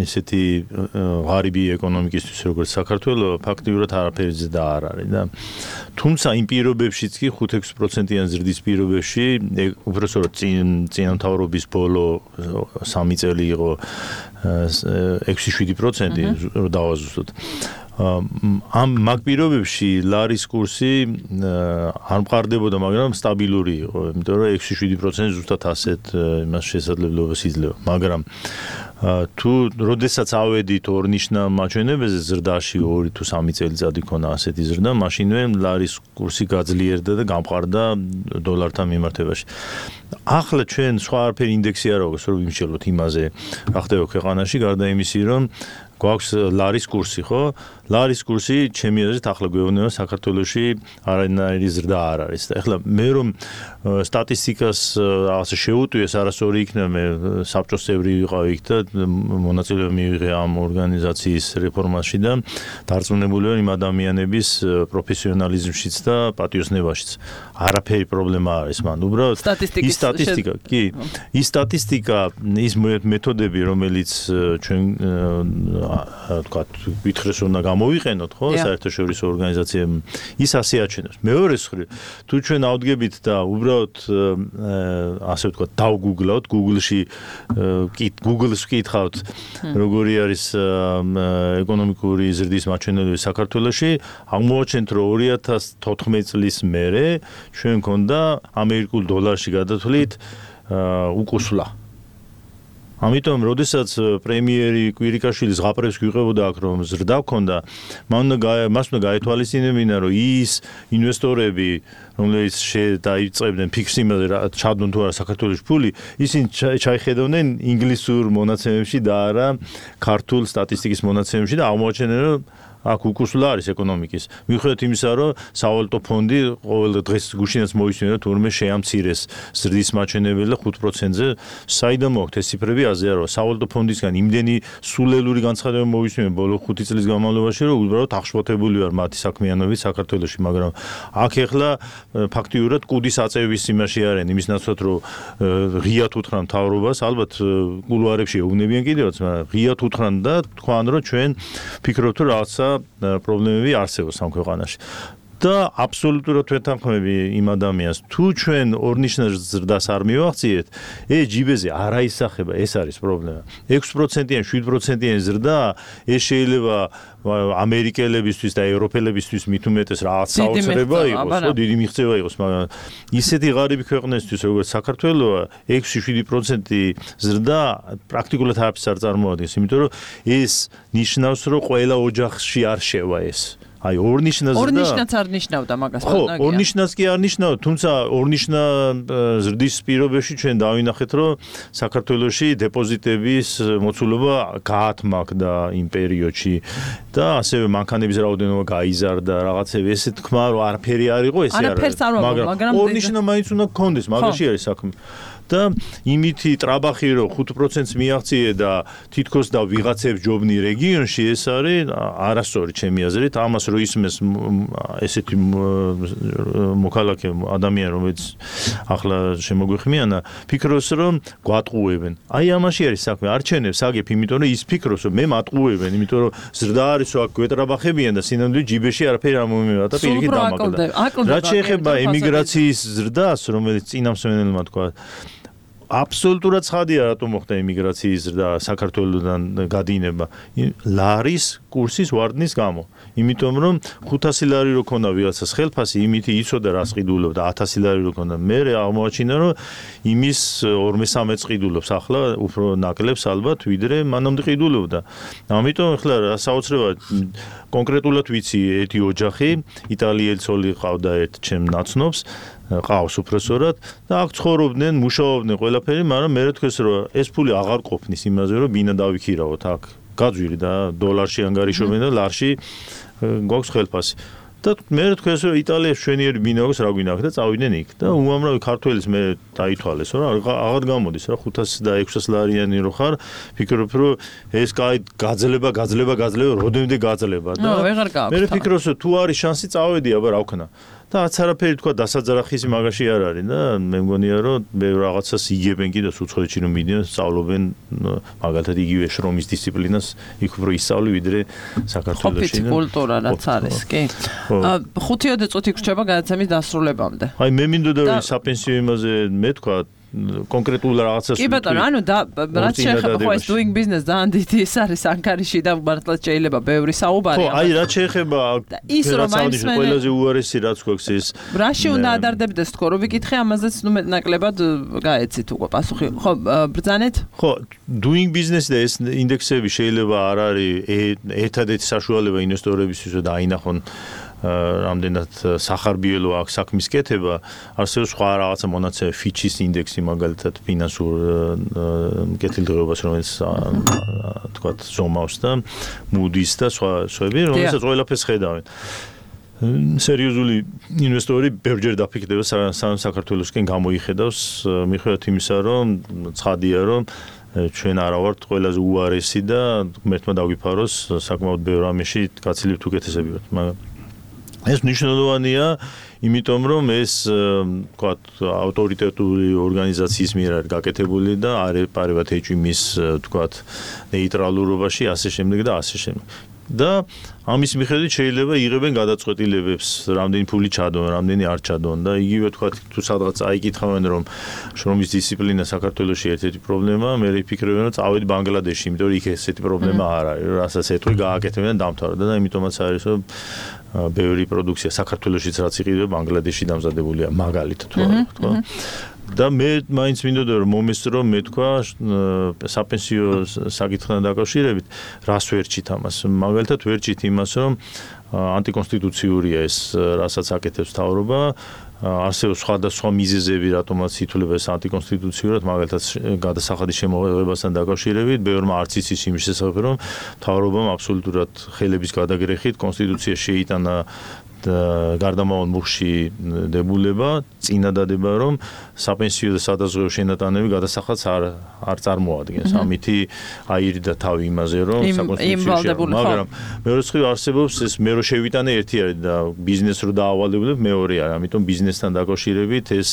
Speaker 8: ესეთი ღარიბი ეკონომიკისთვის როგორც საქართველოს ფაქტიურად არაფერზე და არ არის და თუმცა იმ პირობებშიც კი 5-6%-იანი ზრდის პირობებში უბრალოდ წინა მთავრობის ბოლო 3 წელი იყო 6-7% რომ დავაზუსტოთ ამ მაგ პირობებში ლარის კურსი არ მყარდებოდა, მაგრამ სტაბილური იყო, იმიტომ რომ 6-7% ზუსტად ასეთ იმას შესაძლებლობას იძლევა, მაგრამ თუ როდესაც ავედით ორნიშნა მაჩვენებელზე ზრდაში 2 თუ 3 წელიწადი ქონა ასეთი ზრდა, მაშინვე ლარის კურსი გაძლიერდა და გამყარდა დოლართან მიმართებაში. ახლა ჩვენ სხვა არაფერი ინდექსი არ აქვს, რომ ვიმსჯელოთ იმაზე, რა ხდება ქვეყანაში, გარდა იმისი, რომ გვაქვს ლარის კურსი, ხო? ლარის კურსი ჩემი აზრით ახლა გვეუბნება საქართველოში არანაირი ზრდა არ არის. და ახლა მე რომ სტატისტიკას რაღაცა შეუტვიეს, არასორი იქნება, მე საბჭოს წევრი ვიყავი იქ და მონაწილეობა მივიღე ამ ორგანიზაციის რეფორმაში და დარწმუნებული ვარ იმ ადამიანების პროფესიონალიზმშიც და პატიოსნებაშიც. არაფერი პრობლემა არის მან. უბრალოდ ის სტატისტიკა, კი. ის სტატისტიკა, ის მეთოდები, რომელიც ჩვენ თქვათ, ვითხრეს უნდა გამოვიყენოთ, ხო, საერთაშორისო ორგანიზაციებმა, ის ასე აჩვენებს. მეორე მხრივ, თუ ჩვენ ავდგებით და უბრალოდ ასე ვთქვათ, დავგუგლავთ, Google-ს ვკითხავთ, როგორი არის ეკონომიკური ზრდის მაჩვენებლები საქართველოში, აღმოვაჩენთ, რომ 2014 წლის მერე ჩვენ მქონდა ამერიკულ დოლარში გადათვლით უკუსვლა. ამიტომ, როდესაც პრემიერი კვირიკაშვილი ზღაპრებს გვიყებოდა აქ რომ ზრდა ჰქონდა, მას უნდა გაეთვალისწინებინა, რომ ის ინვესტორები, რომლებიც დაიწყებდნენ ფიქრს იმაზე, ჩადონ თუ არა საქართველოს ფული, ისინი ჩაიხედავდნენ ინგლისურ მონაცემებში და არა ქართულ სტატისტიკის მონაცემებში და აღმოაჩენენ, რომ აქ უკუსვლა არის ეკონომიკის. მიუხედავად იმისა, რომ სავალუტო ფონდი ყოველ დღეს გუშინაც მოისმინა, თურმე შეამცირეს ზრდის მაჩვენებელი და 5%-ზე. საიდან მოაქვთ ეს ციფრები? აზე არა, სავალუტო ფონდისგან იმდენი სულელური განცხადება მოისმინა ბოლო 5 წლის განმავლობაში, რომ უბრალოდ აღშფოთებული ვარ მათი საქმიანობით საქართველოში, მაგრამ აქ ეხლა ფაქტიურად კუდის აწევის იმაში არიან, იმის ნაცვლად, რომ ღიად უთხრან მთავრობას, ალბათ კულუარებში ეუბნებიან კიდევაც, მაგრამ ღიად უთხრან და თქვან, რომ ჩვენ ფიქრობთ, რომ რაღაცა პრობლემები არსებობს ამ ქვეყანაში. და აბსოლუტურად ვეთანხმები იმ ადამიანს, თუ ჩვენ ორნიშნა ზრდას არ მივახციეთ, ჯიბეზე არ აისახება, ეს არის პრობლემა. 6%-იან, 7%-იან ზრდა, ეს შეიძლება ამერიკელებისთვის და ევროპელებისთვის მით უმეტეს რაღაც საოცრება იყოს, ხო, დიდი მიღწევა იყოს, მაგრამ ისეთი ღარიბი ქვეყნისთვის, როგორც საქართველოა, 6-7% ზრდა პრაქტიკულად არაფერს არ წარმოადგენს, იმიტომ რომ ეს ნიშნავს, რომ ყველა ოჯახში არ შევა ეს. აი ორნიშნა ზრდა
Speaker 2: ორნიშნაც არ ნიშნავდა მაგას
Speaker 8: ხო ორნიშნაც კი არ ნიშნავდა თუმცა ორნიშნა ზრდის პირობებში ჩვენ დავინახეთ რომ საქართველოში დეპოზიტების მოცულობა გაათმაკდა იმ პერიოდში და ასევე მანქანების რაოდენობა გაიზარდა რაღაცები ესე თქვა რომ არაფერი არ იყო ესე არ არის მაგრამ ორნიშნა მაინც უნდა გქონდეს მაგაში არის საქმე და იმითი ტრაბახი რომ 5%-ს მიაღწიე და თითქოს და ვიღაცებს ჯობნი რეგიონში ეს არის არასწორი ჩემი აზრით ამას რო ისმეს ესეთი მოქალაქე ადამიანი რომელიც ახლა შემოგვიხმიანა ფიქრობს რომ გვატყუებენ აი ამაში არის საქმე არჩენებს აგებ იმიტომ რომ ის ფიქრობს რომ მე მატყუებენ იმიტომ რომ ზრდა არის რომ აქ გვეტრაბახებიან და სინამდვილე ჯიბეში არაფერი არ მომიმევა და პირიქით დამაკლა რაც შეეხება ემიგრაციის ზრდას რომელიც წინამსვენელმა თქვა აბსოლუტურად ცხადია რატომ მოხდა ემიგრაციის ზრდა საქართველოსთან გადინება ლარის კურსის ვარდნის გამო იმიტომ რომ 500 ლარი რო ქონდა ვიღაცას ხელფასი იმითი იცოდა რას ყიდულობდა 1000 ლარი რო ქონდა მე აღმოაჩინა რომ იმის 2-13 ყიდულობს ახლა უფრო ნაკლებს ალბათ ვიდრე მანამდე ყიდულობდა ამიტომ ახლა საოცრებად კონკრეტულად ვიცი ერთი ოჯახი იტალიელი ცოლი ყავდა ერთ ჩემ ნაცნობს ყავს უბრალოდ და აქ ცხოვრობდნენ, მუშაობდნენ ყველაფერი, მაგრამ მე თქვეს რომ ეს ფული აღარ ყოფნის იმაზე რომ ბინა დავიქირავოთ აქ. გაძვირი და დოლარში ანგარიშობენ და ლარში გვაქვს ხელფასი. და მე თქვეს რომ იტალიაში შვენიერი ბინა აქვს რა გვინდა და წავიდნენ იქ და უამრავი ქართველის მე დაითვალეს რომ აღარ გამოდის რა 500 და 600 ლარიანი რო ხარ ფიქრობ რომ ეს კაი გაძლება როდემდე გაძლება და მე ფიქრობს რომ თუ არის შანსი წავედი აბა რა ვქნა და არც არაფერი თქვა დასაძრახის მაგაში არ არის და მე მგონია რომ მე რაღაცას იგებენ კიდე უცხოეთში რომ მიდიან სწავლობენ მაგალითად იგივე შრომის დისციპლინას იქ უფრო ისწავლი ვიდრე საქართველოში
Speaker 2: და კულტურა რაც არის კი 5 წუთი გრჩება გადაცემის დასრულებამდე
Speaker 8: აი მე მინდოდა რომ საპენსიო იმაზე მე თქვა კონკრეტულ რაღაცას
Speaker 2: კი ბატონო ანუ და რაც შეეხება ხო ეს doing business და ანდიტი ეს არის ანკარაში და მართლაც შეიძლება ბევრი საუბარი
Speaker 8: ხო აი რაც შეეხება ყველაზე უარესი რაც გვაქვს ეს
Speaker 2: რაში უნდა ადარდებდეს თქო რომ ვიკითხე ამაზეც ნუ მეტნაკლებად გაეცით უკვე პასუხი ხო ბრძანეთ
Speaker 8: ხო doing business და ეს ინდექსები შეიძლება არ არის ერთადერთი საშუალება ინვესტორებისთვის და აინახონ რამდენად სახარბიელო აქვს საქმის კეთება არსებობს სხვა რაღაცა მონაცემი ფიჩის ინდექსი მაგალითად ფინანსურ კეთილდღეობას რომელიც თქვათ ზომავს და მუდის და სხვაები რომელსაც ყველაფერს ხედავენ სერიოზული ინვესტორი ბევრჯერ დაფიქრდება საქართველოსკენ გამოიხედავს მიუხედავად იმისა რომ ცხადია რომ ჩვენ არა ვართ ყველაზე უარესი და ღმერთმა დაგვიფაროს საკმაოდ ბევრ ამაში გაცილებთ უკეთესები ვართ მაგრამ ეს მნიშვნელოვანია, იმიტომ რომ ეს, ვთქვათ, ავტორიტეტული ორგანიზაციის მიერ არის გაკეთებული და არ ეპარებათ ეჭვმის, ვთქვათ, ნეიტრალურობაში, ასე შემდეგ და ასე შემდეგ. და ამის მიხედვით შეიძლება იღებენ გადაწყვეტილებებს, რამდენი ფული ჩადონ, რამდენი არ ჩადონ და იგივე ვთქვათ, თუ სადღაც აიკითხავენ რომ შრომის დისციპლინა საქართველოში ერთ-ერთი პრობლემაა, მე ვფიქრობ რომ წავედი ბანგლადეში, იმიტომ რომ იქ ესეთი პრობლემა არ არის, რასაც ეთქვი გააკეთებენ და დამთავრდა და იმიტომაც არის რომ ბევრი პროდუქცია საქართველოშიც რაც იყიდება ბანგლადეში დამზადებულია მაგალითად თქვა და მე მაინც მინდოდა რომ მომესწრო მე თქვა საპენსიო საკითხთან დაკავშირებით რას ვერჩით ამას მაგალითად ვერჩით იმას რომ ანტიკონსტიტუციურია ეს რასაც აკეთებს მთავრობა არსებობს სხვადასხვა მიზეზები რატომაც ითვლება ეს ანტიკონსტიტუციურად მაგალითად გადასახადის შემოღებასთან დაკავშირებით ბევრმა არც იცის იმის შესახებ რომ მთავრობამ აბსოლუტურად ხელების გადაგრეხით კონსტიტუცია შეიტანა გარდამავალ მუხში დებულება წინადადება რომ საპენსიო და სადაზღვევო შენატანები გადასახადს არ წარმოადგენს ამითი აირიდა თავი იმაზე რომ საკონსტიტუციაში მაგრამ მეორე მხრივ არსებობს ეს მე რო შევიტანე ერთი არის და ბიზნესს რო დაავალებდებ მეორე არის ამიტომ ბიზნესთან დაკავშირებით ეს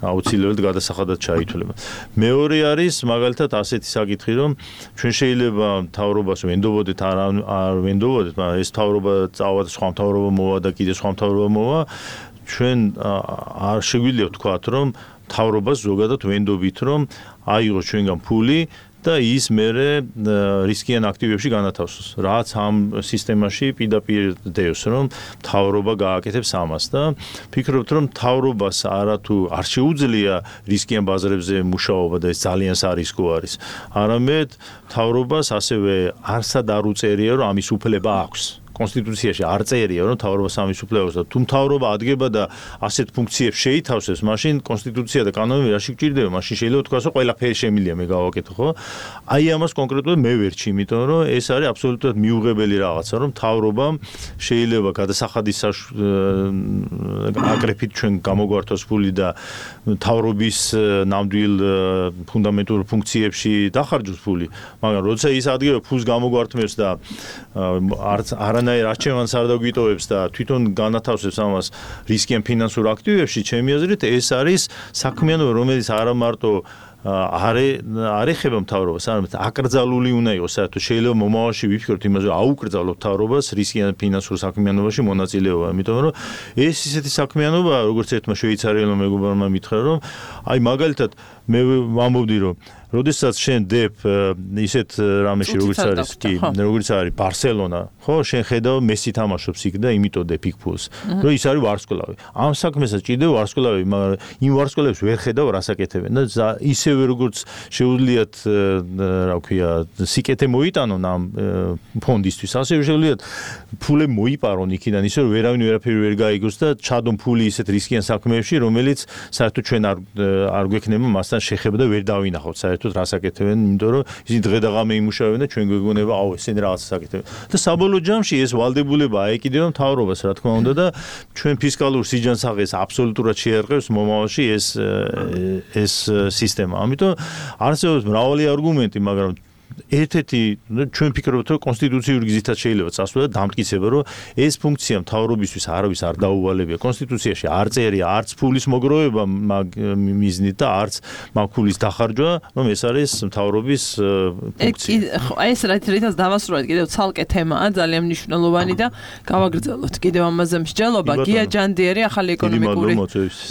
Speaker 8: აუცილებლად გადასახადად ჩაითვლება მეორე არის მაგალითად ასეთი საკითხი რომ ჩვენ შეიძლება მთავრობას ვენდობოდეთ არ ვენდობოდეთ მაგრამ ეს მთავრობა წავა სხვა მთავრობა მოვა და კიდე სხვა მთავრობა მოვა ჩვენ არ შეგვიძლია ვთქვათ რომ მთავრობას ზოგადად ვენდობით რომ აიღოს ჩვენგან ფული და ის მერე რისკიან აქტივებში განათავსოს რაც ამ სისტემაში პირდაპირ დევს რომ მთავრობა გააკეთებს ამას და ფიქრობთ რომ მთავრობას არათუ არ შეუძლია რისკიან ბაზრებზე მუშაობა და ეს ძალიან სარისკო არის არამედ მთავრობას ასევე არსად არ უწერია რომ ამის უფლება აქვს კონსტიტუციაში არ წერია, რომ მთავრობა სამისუფლეობს და თუ მთავრობა ადგება და ასეთ ფუნქციებს შეითავსებს, მაშინ კონსტიტუცია და კანონები რაში გჭირდება? მაშინ შეიძლება თქვას, რომ ყველაფერი შემილია მე გავაკეთო, ხო? აი ამას კონკრეტულად მე ვერჩი, იმიტომ რომ ეს არის აბსოლუტურად მიუღებელი რაღაცა, რომ მთავრობამ შეიძლება გადასახადის აკრეფით ჩვენ გამოგვართოს ფული და მთავრობის ნამდვილ ფუნდამენტურ ფუნქციებში დახარჯოს ფული, მაგრამ როცა ის ადგება ფულს გამოგვართმევს და არანაირ არჩევანს არ დაგვიტოვებს და თვითონ განათავსებს ამას რისკიან ფინანსურ აქტივებში, ჩემი აზრით ეს არის საქმიანობა, რომელიც არა მარტო არ ეხება მთავრობას, არამედ აკრძალული უნდა იყოს, საერთოდ შეიძლება მომავალში ვიფიქროთ იმაზე, რომ აუკრძალოთ მთავრობას რისკიან ფინანსურ საქმიანობაში მონაწილეობა, იმიტომ რომ ეს ისეთი საქმიანობაა, როგორც ერთმა შვეიცარიელმა მეგობარმა მითხრა, რომ აი მაგალითად მე ვამბობდი, რომ როდესაც შენ დებ ისეთ რამეში როგორც არის ბარსელონა, ხო, შენ ხედავ მესი თამაშობს იქ და იმიტომ დებ იქ ფულს, რომ ის არის ვარსკვლავი. ამ საქმესაც ჭირდება ვარსკვლავი, მაგრამ იმ ვარსკვლავებს ვერ ხედავ რას აკეთებენ და ისევე როგორც შეუძლიათ, რა ვქვია, სიკეთე მოიტანონ ამ ფონდისთვის, ასევე შეუძლიათ ფულები მოიპარონ იქიდან, ისე რომ ვერავინ ვერაფერი ვერ გაიგოს და ჩადონ ფული ისეთ რისკიან საქმეებში, რომელიც საერთოდ ჩვენ არ გვექნება მასთან შეხება და ვერ დავინახავთ საერთოდ რას აკეთებენ, იმიტომ რომ ისინი დღე და ღამე იმუშავებენ და ჩვენ გვეგონება, აუ, ესენი რაღაცას აკეთებენ. და საბოლოო ჯამში ეს ვალდებულება აეკიდება მთავრობას, რა თქმა უნდა და ჩვენ ფისკალურ სიჯანსაღეს აბსოლუტურად შეერყევს მომავალში ეს სისტემა. ამიტომ არსებობს მრავალი არგუმენტი, მაგრამ ერთ-ერთი ჩვენ ვფიქრობთ, რომ კონსტიტუციური გზითაც შეიძლება წასვლა და დამტკიცება, რომ ეს ფუნქცია მთავრობისთვის არავის არ დაუვალებია. კონსტიტუციაში არ წერია არც ფულის მოგროვება მიზნით და არც მაგ ფულის დახარჯვა, რომ ეს არის მთავრობის ფუნქცია.
Speaker 2: ეს რითაც დავასრულეთ, კიდევ ცალკე თემაა, ძალიან მნიშვნელოვანი და გავაგრძელოთ კიდევ ამაზე მსჯელობა. გია ჯანდიერი, ახალი ეკონომიკური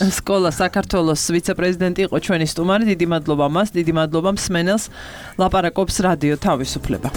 Speaker 2: სკოლა საქართველოს ვიცე-პრეზიდენტი იყო ჩვენი სტუმარი. დიდი მადლობა მას, დიდი მადლობა მსმენელს. ლაპარაკობს რადიო თავისუფლება.